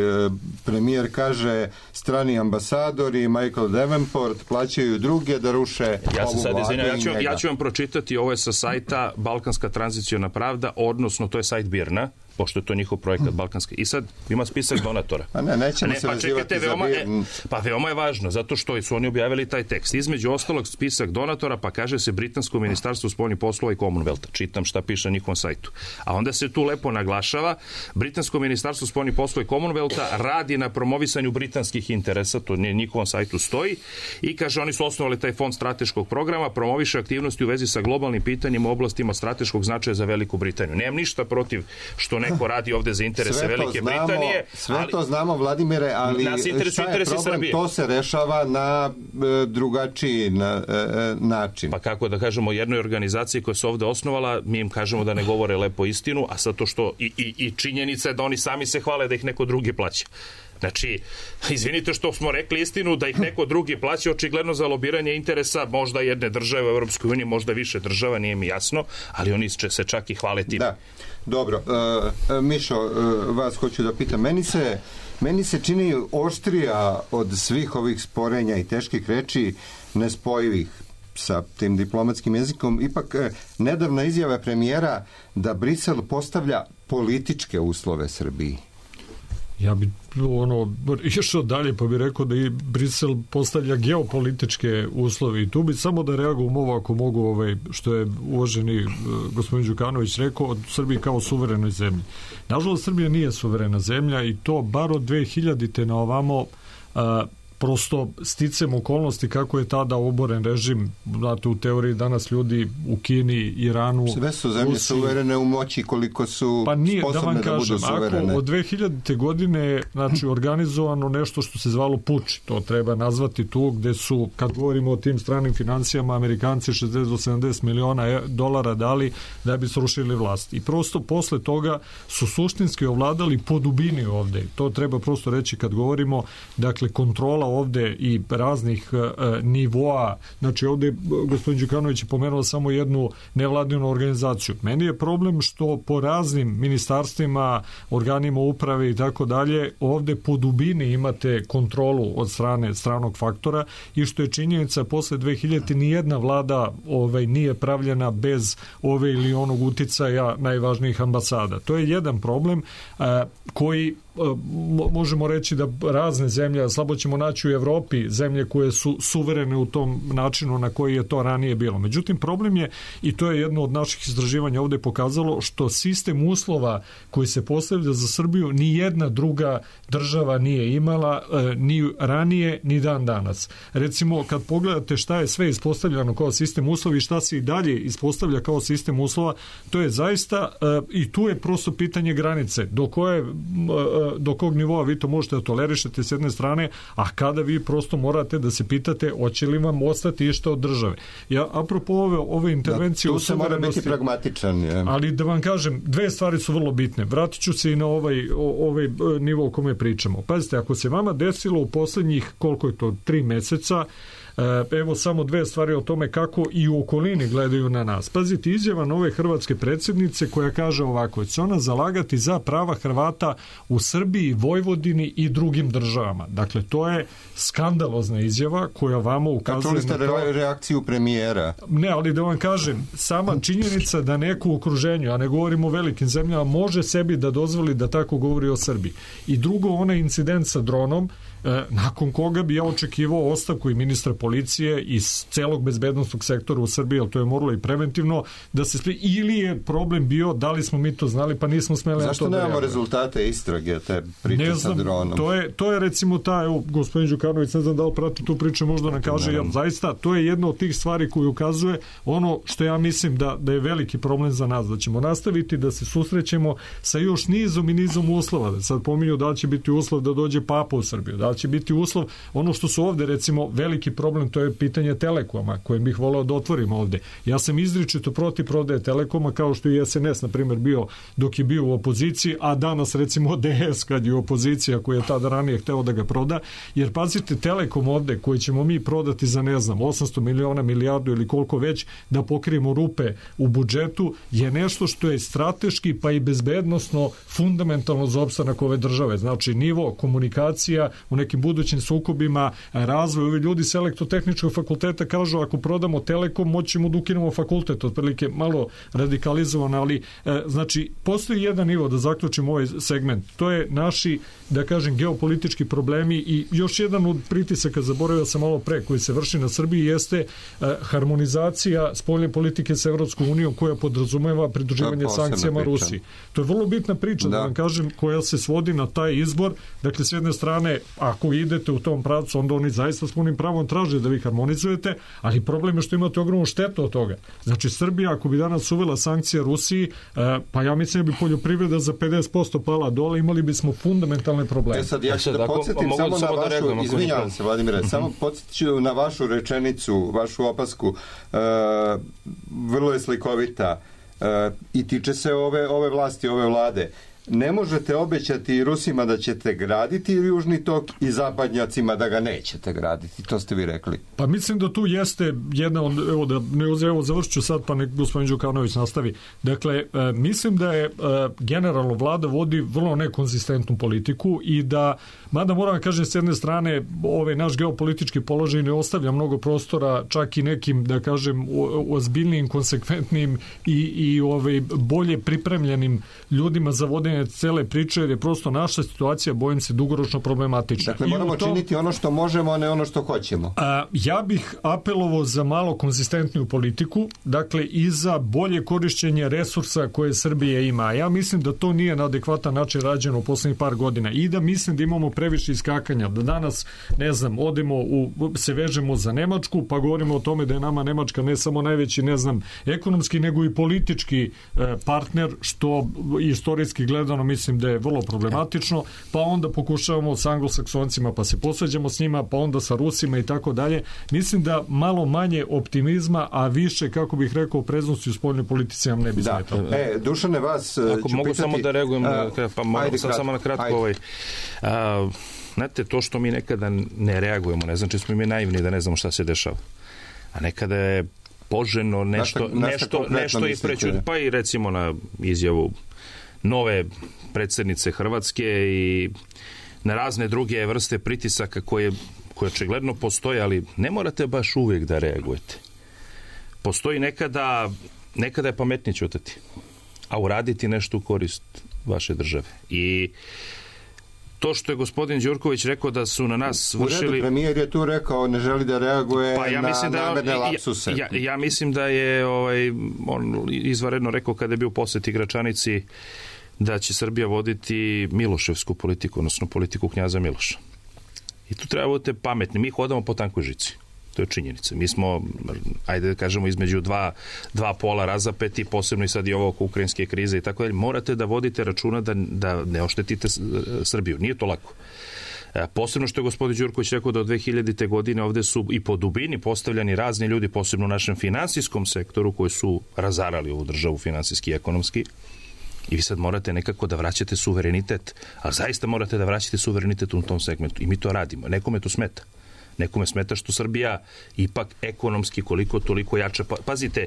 [SPEAKER 2] premijer kaže strani ambasadori, Michael Davenport plaćaju druge da ruše
[SPEAKER 9] ja se sad izvinjam, ja ću,
[SPEAKER 2] njega.
[SPEAKER 9] ja ću vam pročitati, ovo je sa sajta Balkanska tranziciona pravda, odnosno to je sajt B I R N-a, pošto je to njihov projekat hmm. Balkanski. I sad ima spisak donatora.
[SPEAKER 2] A ne, nećemo ne, se
[SPEAKER 9] pa
[SPEAKER 2] vezivati
[SPEAKER 9] čekajte,
[SPEAKER 2] za
[SPEAKER 9] veoma,
[SPEAKER 2] B I R N.
[SPEAKER 9] E, pa veoma je važno, zato što su oni objavili taj tekst. Između ostalog spisak donatora, pa kaže se Britansko ministarstvo spoljnih poslova i Commonwealtha. Čitam šta piše na njihovom sajtu. A onda se tu lepo naglašava, Britansko ministarstvo spoljnih poslova i Commonwealtha radi na promovisanju britanskih interesa, to na njihovom sajtu stoji, i kaže oni su osnovali taj fond strateškog programa, promoviše aktivnosti u vezi sa globalnim pitanjima u oblastima strateškog značaja za Veliku Britaniju. Nemam ništa protiv što neko neko radi ovde za interese Velike
[SPEAKER 2] znamo,
[SPEAKER 9] Britanije.
[SPEAKER 2] Sve
[SPEAKER 9] ali,
[SPEAKER 2] to znamo, Vladimire, ali šta je problem? Srbije. To se rešava na e, drugačiji na, e, način.
[SPEAKER 9] Pa kako da kažemo, jednoj organizaciji koja se ovde osnovala, mi im kažemo da ne govore lepo istinu, a sad to što i, i, i činjenica je da oni sami se hvale da ih neko drugi plaća. Znači, izvinite što smo rekli istinu, da ih neko drugi plaća očigledno za lobiranje interesa možda jedne države u Europskoj uniji, možda više država, nije mi jasno, ali oni će se čak i hvale tim.
[SPEAKER 2] Da, dobro. Uh, Mišo, uh, vas hoću da pitam. Meni se, meni se čini oštrija od svih ovih sporenja i teških reči nespojivih sa tim diplomatskim jezikom, ipak uh, nedavna izjava premijera da Brisel postavlja političke uslove Srbiji.
[SPEAKER 7] Ja bi ono, išao dalje pa bi rekao da i Brisel postavlja geopolitičke uslove i tu bi samo da reagujem ovo ako mogu, ovaj, što je uvaženi uh, gospodin Đukanović rekao od Srbije kao suverenoj zemlji. Nažalost, Srbija nije suverena zemlja i to bar od dve hiljadite na ovamo uh, prosto sticem okolnosti kako je tada oboren režim, znate, u teoriji danas ljudi u Kini, Iranu,
[SPEAKER 2] sve su zemlje Rusiji, suverene u moći koliko su pa nije, sposobne da, da budu suverene.
[SPEAKER 7] Ako od dve hiljadite godine znači organizovano nešto što se zvalo puč, to treba nazvati tu, gde su, kad govorimo o tim stranim financijama, Amerikanci šezdeset do sedamdeset miliona dolara dali da bi srušili vlast. I prosto posle toga su suštinski ovladali po dubini ovde. To treba prosto reći kad govorimo, dakle, kontrola ovde i raznih uh, nivoa, znači ovde gospodin Đukanović je pomenuo samo jednu nevladinu organizaciju. Meni je problem što po raznim ministarstvima, organima uprave i tako dalje, ovde po dubini imate kontrolu od strane stranog faktora i što je činjenica posle dve hiljadite nijedna vlada ovaj, nije pravljena bez ove ili onog uticaja najvažnijih ambasada. To je jedan problem uh, koji možemo reći da razne zemlje, slabo ćemo naći u Evropi zemlje koje su suverene u tom načinu na koji je to ranije bilo. Međutim, problem je, i to je jedno od naših istraživanja ovde pokazalo, što sistem uslova koji se postavlja za Srbiju ni jedna druga država nije imala ni ranije, ni dan danas. Recimo, kad pogledate šta je sve ispostavljano kao sistem uslova i šta se i dalje ispostavlja kao sistem uslova, to je zaista, i tu je prosto pitanje granice, do koje do kog nivoa vi to možete da tolerišete s jedne strane, a kada vi prosto morate da se pitate hoće li vam ostati išta od države. Ja, apropo ove, ove intervencije...
[SPEAKER 2] Da, tu se mora biti pragmatičan. Je.
[SPEAKER 7] Ali da vam kažem, dve stvari su vrlo bitne. Vratit ću se i na ovaj, ovaj nivo o kome pričamo. Pazite, ako se vama desilo u poslednjih, koliko je to, tri meseca, evo samo dve stvari o tome kako i u okolini gledaju na nas. Pazite, izjava nove hrvatske predsjednice koja kaže ovako, će ona zalagati za prava Hrvata u Srbiji, Vojvodini i drugim državama. Dakle, to je skandalozna izjava koja vama ukazuje
[SPEAKER 2] na to... Kako ste reakciju premijera?
[SPEAKER 7] Ne, ali da vam kažem, sama činjenica da neko u okruženju, a ne govorimo o velikim zemljama, može sebi da dozvoli da tako govori o Srbiji. I drugo, onaj incident sa dronom, nakon koga bi ja očekivao ostavku i ministra policije iz celog bezbednostnog sektora u Srbiji, ali to je moralo i preventivno da se spri... ili je problem bio da li smo mi to znali pa nismo smeli.
[SPEAKER 2] Zašto
[SPEAKER 7] na to
[SPEAKER 2] nemamo
[SPEAKER 7] da
[SPEAKER 2] rezultate istrage te priče
[SPEAKER 7] ne znam,
[SPEAKER 2] sa dronom?
[SPEAKER 7] To je, to je recimo ta, evo, gospodin Đukanović, ne znam da li prati tu priču, možda nam kaže, ja, zaista, to je jedna od tih stvari koju ukazuje ono što ja mislim da, da je veliki problem za nas, da ćemo nastaviti da se susrećemo sa još nizom i nizom uslova. Sad pominju da li će biti uslov da dođe Papa u Srbiju, da li će biti uslov, ono što su ovde recimo veliki problem, to je pitanje Telekoma koje bih voleo da otvorimo ovde. Ja sam izričito protiv prodaje Telekoma, kao što i S N S na primjer bio dok je bio u opoziciji, a danas recimo D S kad je opozicija koja je tada ranije hteo da ga proda, jer pazite, Telekom ovde koji ćemo mi prodati za ne znam osamsto miliona, milijardu ili koliko već da pokrijemo rupe u budžetu je nešto što je strateški pa i bezbednosno fundamentalno za opstanak ove države. Znači nivo komunikacija u nekim budućim sukobima, razvoj. Ovi ljudi s elektrotehničkog fakulteta kažu ako prodamo Telekom moćemo da ukinemo fakultet, otprilike malo radikalizovan, ali e, znači postoji jedan nivo da zaključimo ovaj segment. To je naši, da kažem, geopolitički problemi i još jedan od pritisaka, zaboravio sam malo pre, koji se vrši na Srbiji jeste e, harmonizacija spoljne politike sa Evropskom unijom koja podrazumeva pridruživanje sankcijama Rusiji. To je vrlo bitna priča, da. da vam kažem, koja se svodi na taj izbor. Dakle, s jedne strane, a ako idete u tom pravcu, onda oni zaista s punim pravom traže da vi harmonizujete, ali problem je što imate ogromnu štetu od toga. Znači, Srbija, ako bi danas uvela sankcije Rusiji, pa ja mislim da bi poljoprivreda za pedeset posto pala dole, imali bismo fundamentalne probleme.
[SPEAKER 2] E sad, ja ću da podsjetim samo na vašu, izvinjavam se, Vladimire, samo podsjeću na vašu rečenicu, vašu opasku, vrlo je slikovita i tiče se ove, ove vlasti, ove vlade. Ne možete obećati Rusima da ćete graditi Južni tok i zapadnjacima da ga nećete graditi. To ste vi rekli.
[SPEAKER 7] Pa mislim da tu jeste jedna od, evo da ne evo završit ću sad pa nek gospodin Đukanović nastavi. Dakle, e, mislim da je e, generalno vlada vodi vrlo nekonzistentnu politiku i da, mada moram da kažem s jedne strane, ovaj naš geopolitički položaj ne ostavlja mnogo prostora čak i nekim, da kažem, ozbiljnim, konsekventnim i, i ovaj, bolje pripremljenim ljudima za vodenje cele priče, jer je prosto naša situacija, bojim se, dugoročno problematična.
[SPEAKER 2] Dakle, moramo tom, činiti ono što možemo, a ne ono što hoćemo.
[SPEAKER 7] A, ja bih apelovao za malo konzistentniju politiku, dakle, i za bolje korišćenje resursa koje Srbije ima. Ja mislim da to nije na adekvatan način rađeno u poslednjih par godina i da mislim da imamo previše iskakanja, da danas, ne znam, odemo u, se vežemo za Nemačku, pa govorimo o tome da je nama Nemačka ne samo najveći, ne znam, ekonomski, nego i politički e, partner, što istorijski gleda mislim da je vrlo problematično, pa onda pokušavamo s anglosaksoncima, pa se posveđamo s njima, pa onda sa Rusima i tako dalje. Mislim da malo manje optimizma, a više, kako bih rekao, preznosti u spoljnoj politici nam ne bi
[SPEAKER 2] da.
[SPEAKER 7] smetalo.
[SPEAKER 2] E, Dušane, vas
[SPEAKER 9] Ako mogu pitati, samo da reagujem, a, pa mogu sad kratko, samo na kratko ovaj, a, znate, to što mi nekada ne reagujemo, ne znači smo mi naivni da ne znamo šta se dešava. A nekada je poželjno nešto,
[SPEAKER 2] Našta,
[SPEAKER 9] nešto, nešto i preću, pa i recimo na izjavu nove predsjednice Hrvatske i na razne druge vrste pritisaka koje, koje očigledno postoje, ali ne morate baš uvijek da reagujete. Postoji nekada, nekada je pametnije ćutati, a uraditi nešto u korist vaše države. I to što je gospodin Đurković rekao da su na nas vršili...
[SPEAKER 2] U redu, premijer je tu rekao, ne želi da reaguje
[SPEAKER 9] pa ja
[SPEAKER 2] na
[SPEAKER 9] da
[SPEAKER 2] namerne lapsuse.
[SPEAKER 9] Ja, ja mislim da je ovaj, on izvanredno rekao kada je bio posjet Gračanici da će Srbija voditi miloševsku politiku, odnosno politiku knjaza Miloša. I tu treba budete pametni. Mi hodamo po tankoj žici. To je činjenica. Mi smo, ajde da kažemo, između dva, dva pola razapeti, posebno i sad i ovo oko ukrajinske krize i tako dalje. Morate da vodite računa da, da ne oštetite Srbiju. Nije to lako. Posebno što je gospodin Đurković rekao da od dve hiljadite godine ovde su i po dubini postavljani razni ljudi, posebno u našem finansijskom sektoru, koji su razarali ovu državu finansijski i ekonomski. I vi sad morate nekako da vraćate suverenitet, ali zaista morate da vraćate suverenitet u tom segmentu. I mi to radimo. Nekome to smeta. Nekome smeta što Srbija ipak ekonomski koliko toliko jača. Pazite,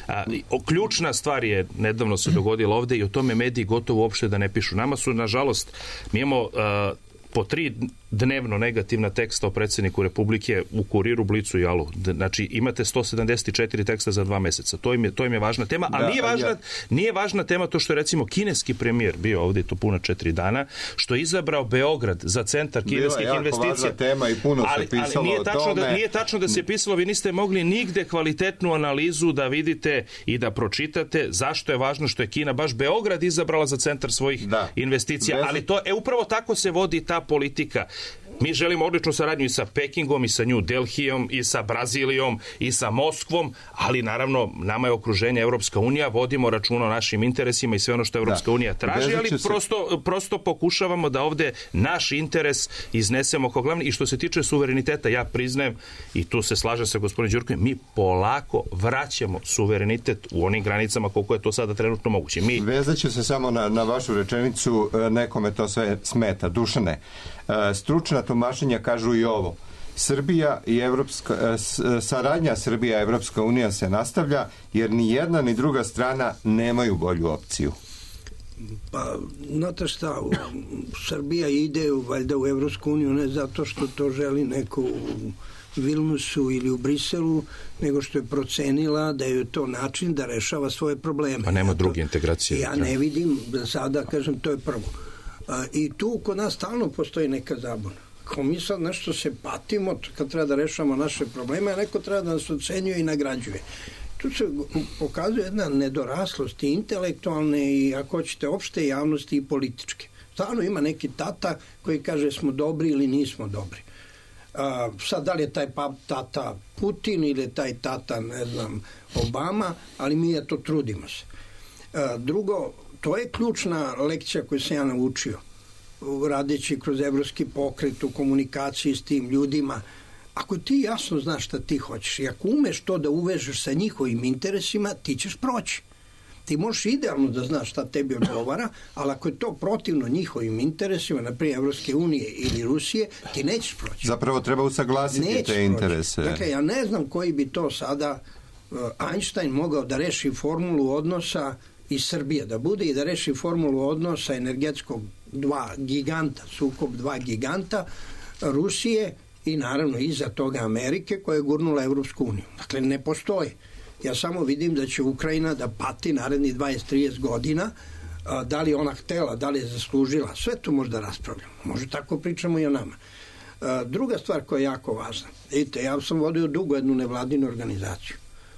[SPEAKER 9] a, o, ključna stvar je, nedavno se dogodila ovde i o tome mediji gotovo uopšte da ne pišu. Nama su, nažalost, mi imamo a, po tri dnevno negativna teksta o predsjedniku Republike u Kuriru, Blicu i Alu. Znači, imate sto sedamdeset četiri teksta za dva meseca. To im je, to im je važna tema, a da, nije, važna, ja. nije važna tema to što je, recimo, kineski premijer bio ovdje to puna četiri dana, što je izabrao Beograd za centar kineskih
[SPEAKER 2] Bila
[SPEAKER 9] investicija.
[SPEAKER 2] Tema i puno
[SPEAKER 9] ali,
[SPEAKER 2] se pisalo
[SPEAKER 9] ali nije tačno,
[SPEAKER 2] o tome.
[SPEAKER 9] Da, nije tačno da se pisalo, vi niste mogli nigde kvalitetnu analizu da vidite i da pročitate zašto je važno što je Kina baš Beograd izabrala za centar svojih da. investicija. Bez... Ali to, e, upravo tako se vodi ta politika. Mi želimo odličnu saradnju i sa Pekingom, i sa New Delhijom, i sa Brazilijom, i sa Moskvom, ali naravno nama je okruženje Evropska unija, vodimo računa o našim interesima i sve ono što Evropska da. unija traži, ali se... prosto, prosto pokušavamo da ovde naš interes iznesemo kao glavni. I što se tiče suvereniteta, ja priznajem, i tu se slažem sa gospodinom Đurkovićem, mi polako vraćamo suverenitet u onim granicama koliko je to sada trenutno moguće. Mi...
[SPEAKER 2] Vezat ću se samo na, na vašu rečenicu, nekome to sve smeta. Dušane, stručna tumačenja kažu i ovo. Srbija i Evropska, saradnja Srbija i Evropska unija se nastavlja jer ni jedna ni druga strana nemaju bolju opciju.
[SPEAKER 8] Pa, znate šta, Srbija ide valjda u Evropsku uniju ne zato što to želi neko u Vilnusu ili u Briselu, nego što je procenila da je to način da rešava svoje probleme.
[SPEAKER 9] Pa nema druge integracije.
[SPEAKER 8] Ja ne vidim, sada kažem, to je prvo. I tu kod nas stalno postoji neka zabuna. Kao mi sad nešto se patimo kad treba da rešamo naše probleme, a neko treba da nas ocenjuje i nagrađuje. Tu se pokazuje jedna nedoraslost i intelektualne i, ako hoćete, opšte javnosti i političke. Stvarno ima neki tata koji kaže smo dobri ili nismo dobri. A, sad da li je taj pa, tata Putin ili je taj tata, ne znam, Obama, ali mi je to trudimo se. A, drugo, to je ključna lekcija koju sam ja naučio radeći kroz evropski pokret u komunikaciji s tim ljudima. Ako ti jasno znaš šta ti hoćeš i ako umeš to da uvežeš sa njihovim interesima, ti ćeš proći. Ti možeš idealno da znaš šta tebi odgovara, ali ako je to protivno njihovim interesima, na primjer Evropske unije ili Rusije, ti nećeš proći.
[SPEAKER 2] Zapravo treba usaglasiti
[SPEAKER 8] nećeš
[SPEAKER 2] te interese.
[SPEAKER 8] Proći. Dakle, ja ne znam koji bi to sada uh, Einstein mogao da reši formulu odnosa iz Srbije, da bude i da reši formulu odnosa energetskog dva giganta, sukob dva giganta, Rusije i naravno iza toga Amerike koja je gurnula Evropsku uniju. Dakle, ne postoji. Ja samo vidim da će Ukrajina da pati narednih dvadeset do trideset godina, a, da li ona htela, da li je zaslužila, sve to možda raspravljamo. Može tako pričamo i o nama. A, druga stvar koja je jako važna, vidite, ja sam vodio dugo jednu nevladinu organizaciju.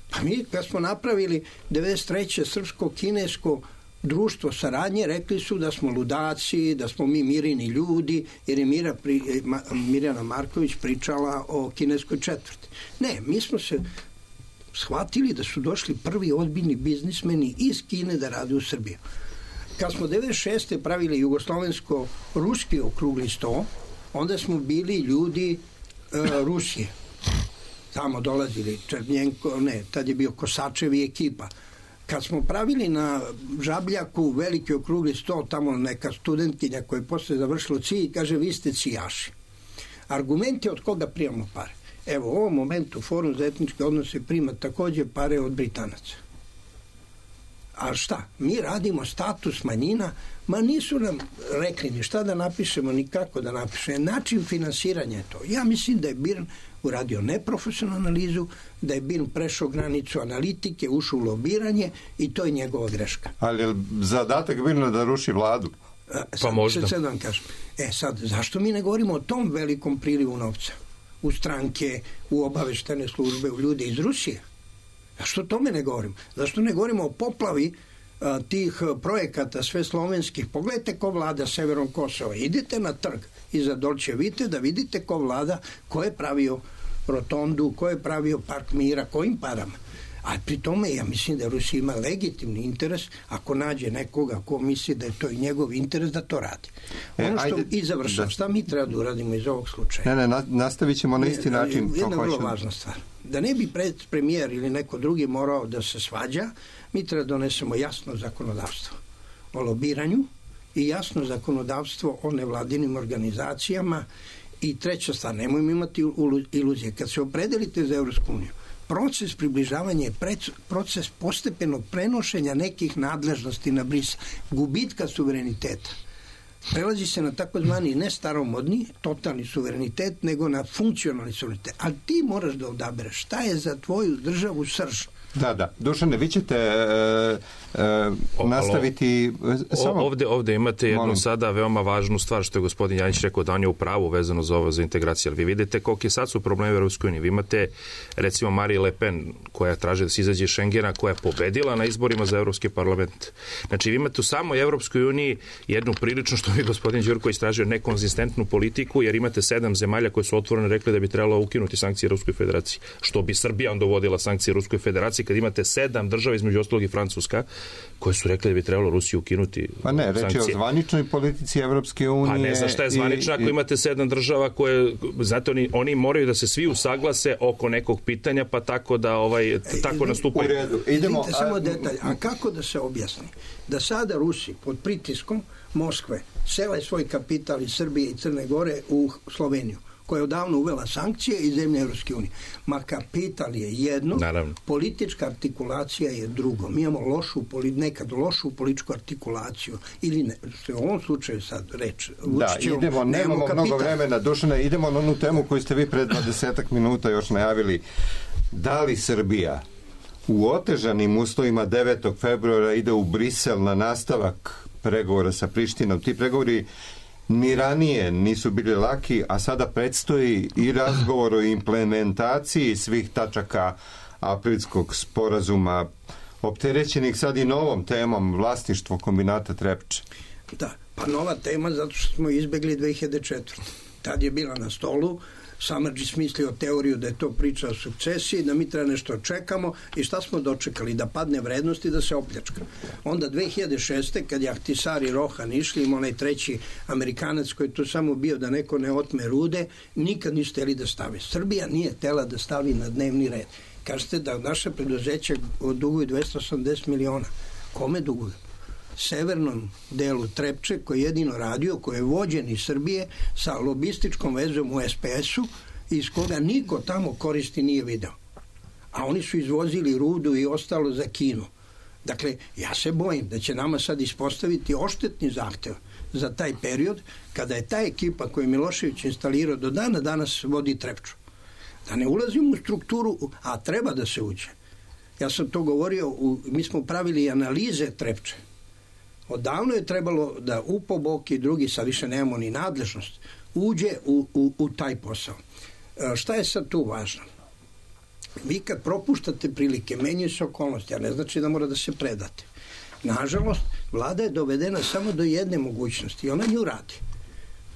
[SPEAKER 8] Pa mi kad smo napravili devedeset treće srpsko-kinesko društvo saradnje, rekli su da smo ludaci, da smo mi mirini ljudi, jer je Mira pri, Ma, Mirjana Marković pričala o kineskoj četvrti. Ne, mi smo se shvatili da su došli prvi ozbiljni biznismeni iz Kine da rade u Srbiji. Kad smo devedeset šeste pravili jugoslovensko-ruski okrugli sto, onda smo bili ljudi e, Rusije. Tamo dolazili Černjenko, ne, tad je bio Kosačev i ekipa. Kad smo pravili na Žabljaku veliki okrugli sto, tamo neka studentkinja koja je posle završila C I, kaže vi ste cijaši. Argument je od koga primamo pare. Evo, u ovom momentu Forum za etničke odnose prima takođe pare od Britanaca. A šta? Mi radimo status manjina, ma nisu nam rekli ni šta da napišemo, ni kako da napišemo. Način finansiranja je to. Ja mislim da je Birn uradio neprofesionalnu analizu, da je Birn prešao granicu analitike, ušao u lobiranje i to je njegova greška.
[SPEAKER 2] Ali je zadatak Birna da ruši vladu?
[SPEAKER 8] Sad, pa možda. Sad vam kažem. E sad, zašto mi ne govorimo o tom velikom prilivu novca? U stranke, u obaveštene službe, u ljude iz Rusije. Zašto o tome ne govorim? Zašto ne govorimo o poplavi a, tih projekata sve slovenskih? Pogledajte ko vlada severom Kosova. Idite na trg iza Dolče Vite da vidite ko vlada, ko je pravio rotondu, ko je pravio park mira, kojim parama. A pri tome ja mislim da Rusija ima legitimni interes ako nađe nekoga ko misli da je to i njegov interes da to radi. Ono što, e, ajde, i završam, da. Šta mi treba da uradimo iz ovog slučaja?
[SPEAKER 2] Ne, ne, nastavit ćemo na isti način.
[SPEAKER 8] Jedna vrlo važna stvar. Da ne bi pred premijer ili neko drugi morao da se svađa, mi treba da donesemo jasno zakonodavstvo o lobiranju i jasno zakonodavstvo o nevladinim organizacijama i treća stvar, nemojmo imati iluzije. Kad se opredelite za Evropsku uniju, proces približavanja je proces postepenog prenošenja nekih nadležnosti na Brisel, gubitka suvereniteta. Prelazi se na takozvani ne staromodni, totalni suverenitet, nego na funkcionalni suverenitet. Ali ti moraš da odabereš šta je za tvoju državu srž.
[SPEAKER 2] Da, da. Dušane, vi ćete e, e, nastaviti...
[SPEAKER 9] O, samo... ovde, ovde imate jednu Molim. sada veoma važnu stvar što je gospodin Janjić rekao da on je u pravu vezano za ovo, za integraciju. Ali vi vidite koliko je sad su problemi u Evropskoj uniji. Vi imate recimo Marine Le Pen koja traže da se izađe iz Šengena, koja je pobedila na izborima za Evropski parlament. Znači vi imate u samoj Evropskoj uniji jednu prilično, što je gospodin Đurko istražio, nekonzistentnu politiku, jer imate sedam zemalja koje su otvorene rekli da bi trebalo ukinuti sankcije Ruskoj federaciji. Što bi Srbija onda uvodila sankcije Ruskoj federaciji kad imate sedam država, između ostalog i Francuska, koje su rekli da bi trebalo Rusiju ukinuti.
[SPEAKER 2] Pa ne, reč je o zvaničnoj politici Evropske unije.
[SPEAKER 9] Pa ne znam šta je zvanična ako i, imate sedam država koje, znate, oni, oni moraju da se svi usaglase oko nekog pitanja, pa tako da ovaj, tako nastupaju.
[SPEAKER 2] U redu. Idemo.
[SPEAKER 8] Vidite samo detalj. A kako da se objasni? Da sada Rusi pod pritiskom Moskve sele svoj kapital iz Srbije i Crne Gore u Sloveniju, koja je odavno uvela sankcije i zemlje Evropske unije. Ma kapital je jedno, Naravno. politička artikulacija je drugo. Mi imamo lošu, nekad lošu političku artikulaciju, ili ne, što je u ovom slučaju sad reč.
[SPEAKER 2] Da, idemo, nemamo mnogo vremena. Dušane, idemo na onu temu koju ste vi pred dvadesetak minuta još najavili. Da li Srbija u otežanim uslovima devetog februara ide u Brisel na nastavak pregovora sa Prištinom? Ti pregovori ni ranije nisu bili laki, a sada predstoji i razgovor o implementaciji svih tačaka aprilskog sporazuma, opterećenih sad i novom temom vlasništvo kombinata Trepče.
[SPEAKER 8] Da, Pa nova tema zato što smo izbegli dve hiljade četvrte. Tad je bila na stolu, Samardžić smislio teoriju da je to priča o sukcesiji, da mi treba nešto čekamo i šta smo dočekali? Da padne vrednost i da se opljačka. Onda dve hiljade šeste kad je Ahtisar i Rohan išli, ima onaj treći Amerikanac koji je tu samo bio da neko ne otme rude, nikad nisu hteli da stavi. Srbija nije htela da stavi na dnevni red. Kažete da naše preduzeća duguju dvesta osamdeset miliona. Kome duguju? Severnom delu Trepče koji je jedino radio, koji je vođen iz Srbije sa lobističkom vezom u es pe esu iz koga niko tamo koristi nije video. A oni su izvozili rudu i ostalo za Kinu. Dakle, ja se bojim da će nama sad ispostaviti oštetni zahtev za taj period kada je ta ekipa koju je Milošević instalirao do dana danas vodi Trepču. Da ne ulazimo u strukturu, a treba da se uđe. Ja sam to govorio, u, mi smo pravili analize Trepče. Odavno je trebalo da U P O B O K i drugi, sad više nemamo ni nadležnost, uđe u, u, u taj posao. E, šta je sad tu važno? Vi kad propuštate prilike, menjaju se okolnosti, a ne znači da mora da se predate. Nažalost, vlada je dovedena samo do jedne mogućnosti i ona nju radi.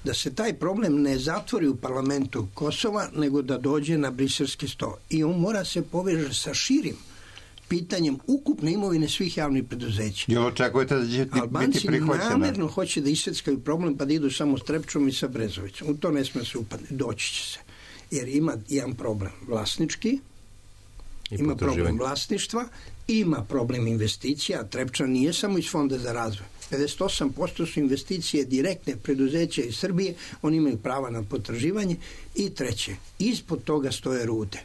[SPEAKER 8] Da se taj problem ne zatvori u parlamentu Kosova, nego da dođe na briselski sto. I on mora se poveže sa širim pitanjem ukupne imovine svih javnih preduzeća.
[SPEAKER 2] Jel očekujete da će biti prihvaćena?
[SPEAKER 8] Albanci namerno hoće da isjeckaju problem pa da idu samo s Trepčom i sa Brezovićem. U to ne sme se upadne. Doći će se. Jer ima jedan problem vlasnički, I ima problem vlasništva, ima problem investicija. Trepča nije samo iz Fonda za razvoj. pedeset osam posto su investicije direktne preduzeća iz Srbije, oni imaju prava na potraživanje. I treće, ispod toga stoje rude.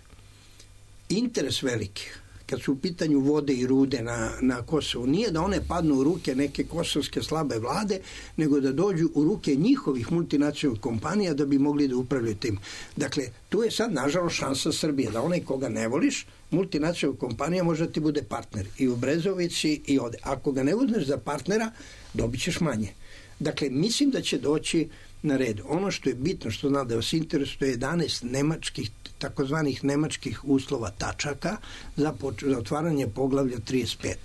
[SPEAKER 8] Interes velikih, kad su u pitanju vode i rude na, na Kosovu, nije da one padnu u ruke neke kosovske slabe vlade, nego da dođu u ruke njihovih multinacionalnih kompanija da bi mogli da upravljaju tim. Dakle, tu je sad, nažalost, šansa Srbije, da onaj koga ne voliš, multinacionalna kompanija može da ti bude partner i u Brezovici i ovde. Ako ga ne uzmeš za partnera, dobit ćeš manje. Dakle, mislim da će doći na red. Ono što je bitno, što zna da vas interesuje, jedanaest nemačkih, takozvanih nemačkih uslova tačaka za, za otvaranje poglavlja trideset pet.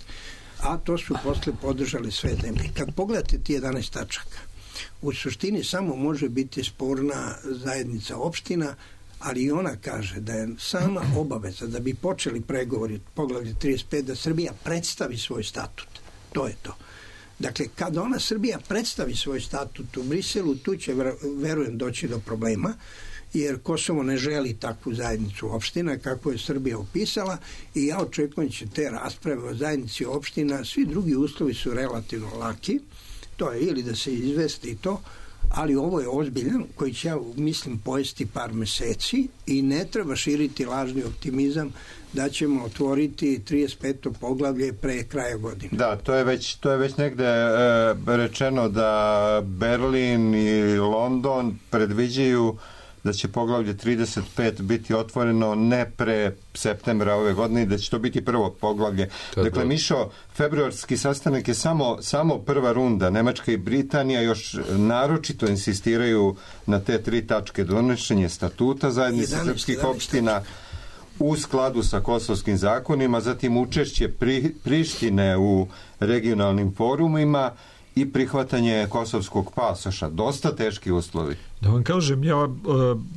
[SPEAKER 8] A to su posle podržali sve zemlje. Kad pogledate ti jedanaest tačaka, u suštini samo može biti sporna zajednica opština, ali i ona kaže da je sama obaveza da bi počeli pregovori poglavlja trideset pet da Srbija predstavi svoj statut. To je to. Dakle, kada ona Srbija predstavi svoj statut u Briselu, tu će, verujem, doći do problema, jer Kosovo ne želi takvu zajednicu opština kako je Srbija opisala i ja očekujem će te rasprave o zajednici opština, svi drugi uslovi su relativno laki, to je ili da se izvesti to, ali ovo je ozbiljan koji će, ja mislim, pojesti par meseci i ne treba širiti lažni optimizam da ćemo otvoriti trideset peto poglavlje pre kraja godine.
[SPEAKER 2] Da, to je već, to je već negde e, rečeno da Berlin i London predviđaju da će poglavlje trideset pet biti otvoreno ne pre septembra ove godine, da će to biti prvo poglavlje. Tako. Dakle, Mišo, februarski sastanak je samo, samo prva runda. Nemačka i Britanija još naročito insistiraju na te tri tačke. Donošenje statuta zajednice srpskih opština u skladu sa kosovskim zakonima, zatim učešće pri, Prištine u regionalnim forumima i prihvatanje kosovskog pasoša. Dosta teški uslovi.
[SPEAKER 7] Da vam kažem, ja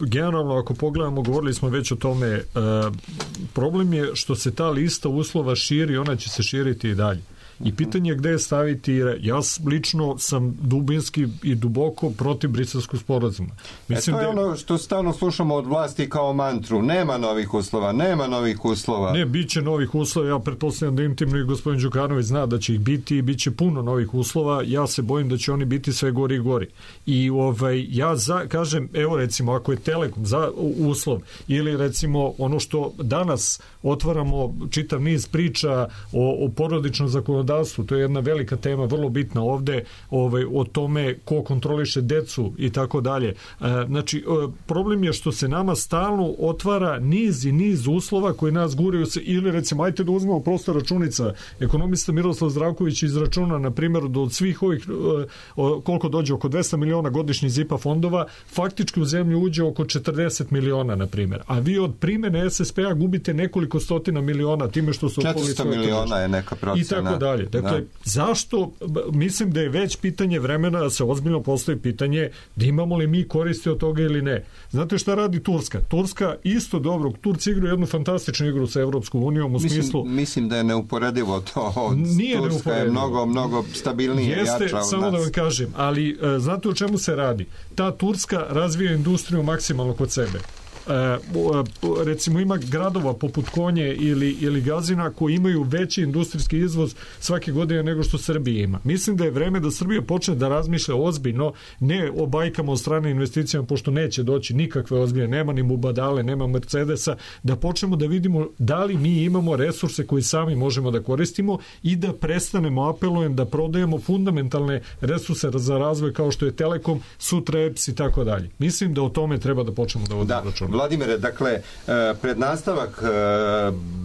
[SPEAKER 7] generalno ako pogledamo, govorili smo već o tome, problem je što se ta lista uslova širi, ona će se širiti i dalje. I pitanje je gde je staviti, ja lično sam dubinski i duboko protiv briselskog sporazuma.
[SPEAKER 2] Mislim e to je da je ono što stalno slušamo od vlasti kao mantru, nema novih uslova, nema novih uslova.
[SPEAKER 7] Ne, bit će novih uslova, ja pretpostavljam da intimno i gospodin Đukanović zna da će ih biti i bit će puno novih uslova, ja se bojim da će oni biti sve gori i gori. I ovaj, ja za, kažem, evo recimo, ako je Telekom za uslov, ili recimo ono što danas otvaramo čitav niz priča o, o porodičnom zakonodavstvu, to je jedna velika tema, vrlo bitna ovde, ovaj, o tome ko kontroliše decu i tako dalje. Znači, problem je što se nama stalno otvara niz i niz uslova koji nas guraju se, ili recimo, ajte da uzmemo prosto računica. Ekonomista Miroslav Zdravković izračuna, na primjer, da od svih ovih, koliko dođe, oko dvesta miliona godišnjih zipa fondova, faktički u zemlju uđe oko četrdeset miliona, na primjer. A vi od primene es es pe a gubite nekoliko stotina miliona time što su
[SPEAKER 2] četiristo miliona je neka procena.
[SPEAKER 7] I tako dalje. dalje. Dakle, da. Zašto, mislim da je već pitanje vremena da se ozbiljno postavi pitanje da imamo li mi koristi od toga ili ne. Znate šta radi Turska? Turska isto dobro, Turci igraju jednu fantastičnu igru sa Evropskom unijom u
[SPEAKER 2] mislim,
[SPEAKER 7] smislu...
[SPEAKER 2] Mislim da je neuporedivo to.
[SPEAKER 7] Nije
[SPEAKER 2] Turska
[SPEAKER 7] neuporedivo.
[SPEAKER 2] Je mnogo, mnogo stabilnije,
[SPEAKER 7] Jeste,
[SPEAKER 2] jača od
[SPEAKER 7] samo
[SPEAKER 2] nas.
[SPEAKER 7] da vam kažem, ali znate o čemu se radi? Ta Turska razvija industriju maksimalno kod sebe. E, recimo ima gradova poput Konje ili, ili Gazina koji imaju veći industrijski izvoz svake godine nego što Srbija ima. Mislim da je vreme da Srbija počne da razmišlja ozbiljno, ne o bajkama od strane investicijama, pošto neće doći nikakve ozbiljne, nema ni Mubadale, nema Mercedesa, da počnemo da vidimo da li mi imamo resurse koje sami možemo da koristimo i da prestanemo, apelujem, da prodajemo fundamentalne resurse za razvoj kao što je Telekom, sutra E P S i tako dalje. Mislim da o tome treba da počnemo da vodimo računa.
[SPEAKER 2] Vladimire, dakle, pred nastavak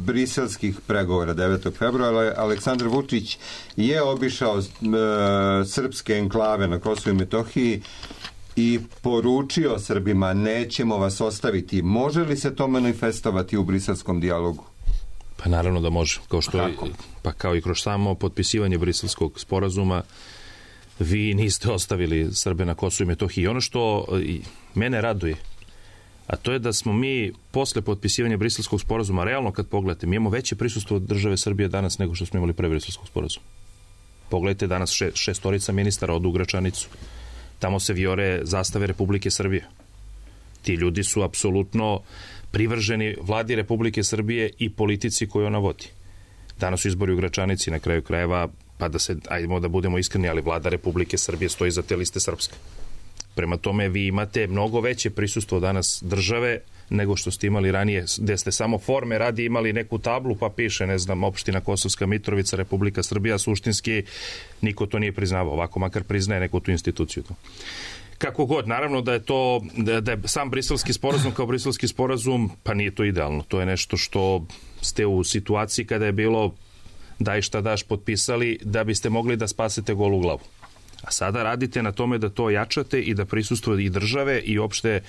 [SPEAKER 2] briselskih pregovora devetog februara Aleksandar Vučić je obišao srpske enklave na Kosovu i Metohiji i poručio Srbima nećemo vas ostaviti. Može li se to manifestovati u briselskom dijalogu?
[SPEAKER 9] Pa naravno da može. Kao što je, pa kao i kroz samo potpisivanje briselskog sporazuma vi niste ostavili Srbe na Kosovu i Metohiji. Ono što mene raduje, a to je da smo mi posle potpisivanja briselskog sporazuma, realno kad pogledate, mi imamo veće prisustvo od države Srbije danas nego što smo imali pre briselskog sporazuma. Pogledajte danas še, šestorica ministara odu u Gračanicu. Tamo se vijore zastave Republike Srbije. Ti ljudi su apsolutno privrženi vladi Republike Srbije i politici koju ona vodi. Danas su izbori u Gračanici, na kraju krajeva, pa da se, ajdemo da budemo iskreni, ali vlada Republike Srbije stoji za te liste srpske. Prema tome vi imate mnogo veće prisustvo danas države nego što ste imali ranije, gde ste samo forme radi imali neku tablu pa piše, ne znam, opština Kosovska Mitrovica, Republika Srbija, suštinski niko to nije priznavao, ovako makar priznaje neku tu instituciju. Kako god, naravno da je to, da, da je sam briselski sporazum kao briselski sporazum, pa nije to idealno, to je nešto što ste u situaciji kada je bilo daj šta daš potpisali da biste mogli da spasete golu glavu. A sada radite na tome da to jačate i da prisustvo i države i opšte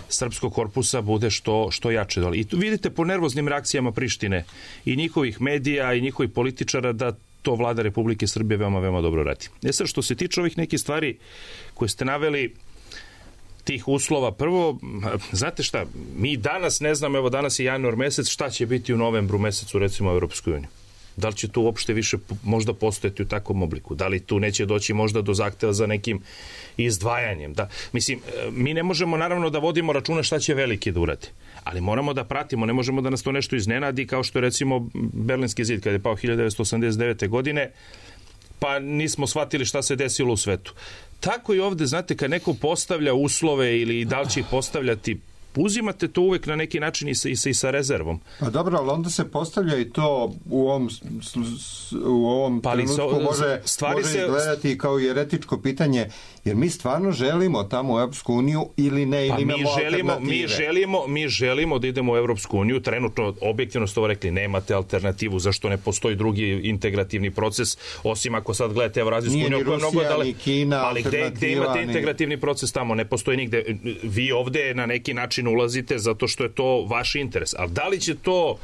[SPEAKER 9] srpskog korpusa bude što, što jače. I tu vidite po nervoznim reakcijama Prištine i njihovih medija i njihovih političara da to vlada Republike Srbije veoma, veoma dobro radi. E sad, što se tiče ovih nekih stvari koje ste naveli, tih uslova, prvo, znate šta, mi danas ne znamo, evo danas je januar mesec, šta će biti u novembru mesecu, recimo u Europskoj uniji. Da li će tu uopšte više možda postojati u takvom obliku? Da li tu neće doći možda do zahteva za nekim izdvajanjem? Da, mislim, mi ne možemo naravno da vodimo računa šta će veliki da uradi, ali moramo da pratimo, ne možemo da nas to nešto iznenadi kao što je recimo Berlinski zid kada je pao hiljadu devetsto osamdeset devete. godine, pa nismo shvatili šta se desilo u svetu. Tako i ovde, znate, kad neko postavlja uslove ili da li će ih postavljati, uzimate to uvek na neki način i sa, i sa, i sa rezervom.
[SPEAKER 2] Pa dobro, ali onda se postavlja i to u ovom, u ovom pa trenutku so, može, može se izgledati kao jeretičko pitanje, jer mi stvarno želimo tamo u Evropsku uniju ili ne, ili pa imamo
[SPEAKER 9] mi želimo,
[SPEAKER 2] alternative.
[SPEAKER 9] Mi želimo, mi želimo da idemo u Evropsku uniju, trenutno, objektivno ste ovo rekli, nemate alternativu, zašto ne postoji drugi integrativni proces, osim ako sad gledate Evrazijsku uniju, koja je mnogo dale,
[SPEAKER 2] ni Kina,
[SPEAKER 9] ali gde, gde imate integrativni proces tamo, ne postoji nigde. Vi ovde na neki način ulazite zato što je to vaš interes. Ali da li će to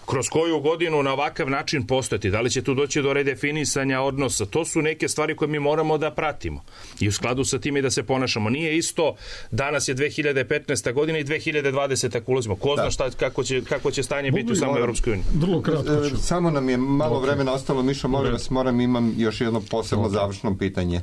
[SPEAKER 9] kroz koju godinu na ovakav način postojati? Da li će tu doći do redefinisanja odnosa? To su neke stvari koje mi moramo da pratimo. I u skladu sa tim i da se ponašamo. Nije isto, danas je dve hiljade petnaesta. godina i dve hiljade dvadesete. ako ulazimo. Ko zna šta, kako, će, kako će stanje biti u samoj Evropskoj uniji?
[SPEAKER 7] Vrlo kratko ću.
[SPEAKER 2] Samo nam je malo vremena ostalo. Mišo, molim vas, moram, imam još jedno posebno završno pitanje.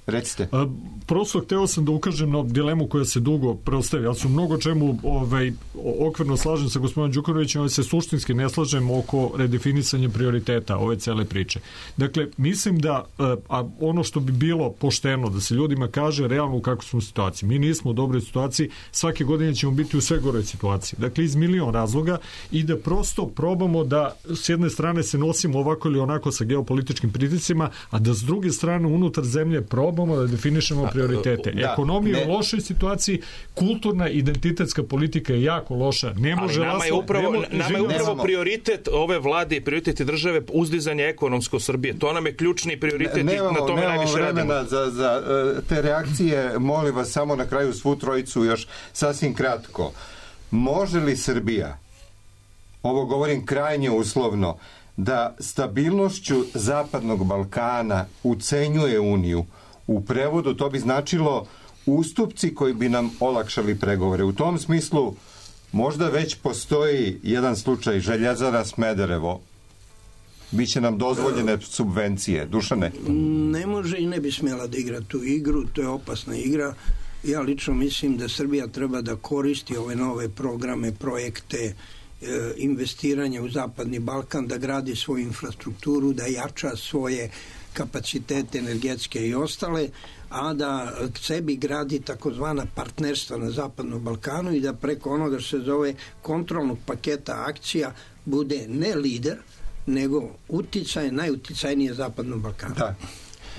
[SPEAKER 2] Recite.
[SPEAKER 7] A, prosto hteo sam da ukažem na dilemu koja se dugo preostavi. Ja sam mnogo čemu ovaj, okvirno slažem sa gospodinom Đukanovićem, ali se suštinski ne slažem oko redefinisanja prioriteta ove cele priče. Dakle, mislim da a ono što bi bilo pošteno da se ljudima kaže realno u kakvoj smo situaciji. Mi nismo u dobroj situaciji, svake godine ćemo biti u sve goroj situaciji. Dakle, iz milion razloga i da prosto probamo da s jedne strane se nosimo ovako ili onako sa geopolitičkim pritiscima, a da s druge strane unutar zemlje probamo da definišemo prioritete. Da, Ekonomija je u lošoj situaciji, kulturna identitetska politika je jako loša. Ne može
[SPEAKER 9] ali nama je upravo,
[SPEAKER 7] nemo,
[SPEAKER 9] nama je upravo prioritet ove vlade i prioritet države uzdizanje ekonomsko Srbije. To nam je ključni prioritet
[SPEAKER 2] ne,
[SPEAKER 9] i na tome najviše radimo.
[SPEAKER 2] Za, za te reakcije, molim vas samo na kraju svu trojicu još sasvim kratko. Može li Srbija, ovo govorim krajnje uslovno, da stabilnošću Zapadnog Balkana ucenjuje Uniju. U prevodu to bi značilo ustupci koji bi nam olakšali pregovore. U tom smislu možda već postoji jedan slučaj Željezara Smederevo. Biće nam dozvoljene subvencije. Dušane?
[SPEAKER 8] Ne može i ne bi smjela da igra tu igru, to je opasna igra. Ja lično mislim da Srbija treba da koristi ove nove programe, projekte, investiranja u Zapadni Balkan, da gradi svoju infrastrukturu, da jača svoje kapacitete energetske i ostale, a da k sebi gradi takozvana partnerstva na Zapadnom Balkanu i da preko onoga što se zove kontrolnog paketa akcija bude ne lider, nego uticaj, najuticajnije Zapadnom Balkanu.
[SPEAKER 2] Da.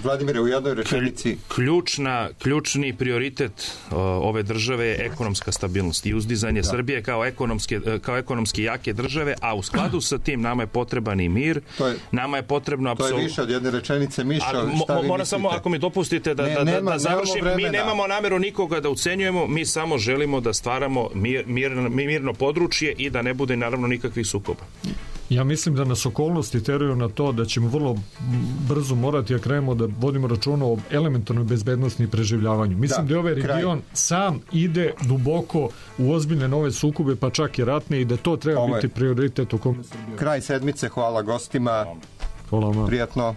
[SPEAKER 2] Vladimire, u jednoj rečenici...
[SPEAKER 9] Ključna, ključni prioritet uh, ove države je ekonomska stabilnost i uzdizanje da. Srbije kao ekonomske, kao ekonomski jake države, a u skladu sa tim nama je potreban i mir, je, nama je potrebno apsolutno...
[SPEAKER 2] To je više od jedne rečenice, Miša, šta vi mislite?
[SPEAKER 9] Moram samo, ako mi dopustite da, ne, da, nema, da završim, mi nemamo nameru nikoga da ucenjujemo, mi samo želimo da stvaramo mir, mir, mirno područje i da ne bude naravno nikakvih sukoba.
[SPEAKER 7] Ja mislim da nas okolnosti teraju na to da ćemo vrlo brzo morati da krenemo da vodimo računa o elementarnoj bezbednosti i preživljavanju. Mislim da, da je ovaj region kraj. sam ide duboko u ozbiljne nove sukobe, pa čak i ratne, i da to treba Ovo biti prioritet u kome Srbija.
[SPEAKER 2] Kraj sedmice, hvala gostima.
[SPEAKER 7] Hvala vam.
[SPEAKER 2] Prijatno.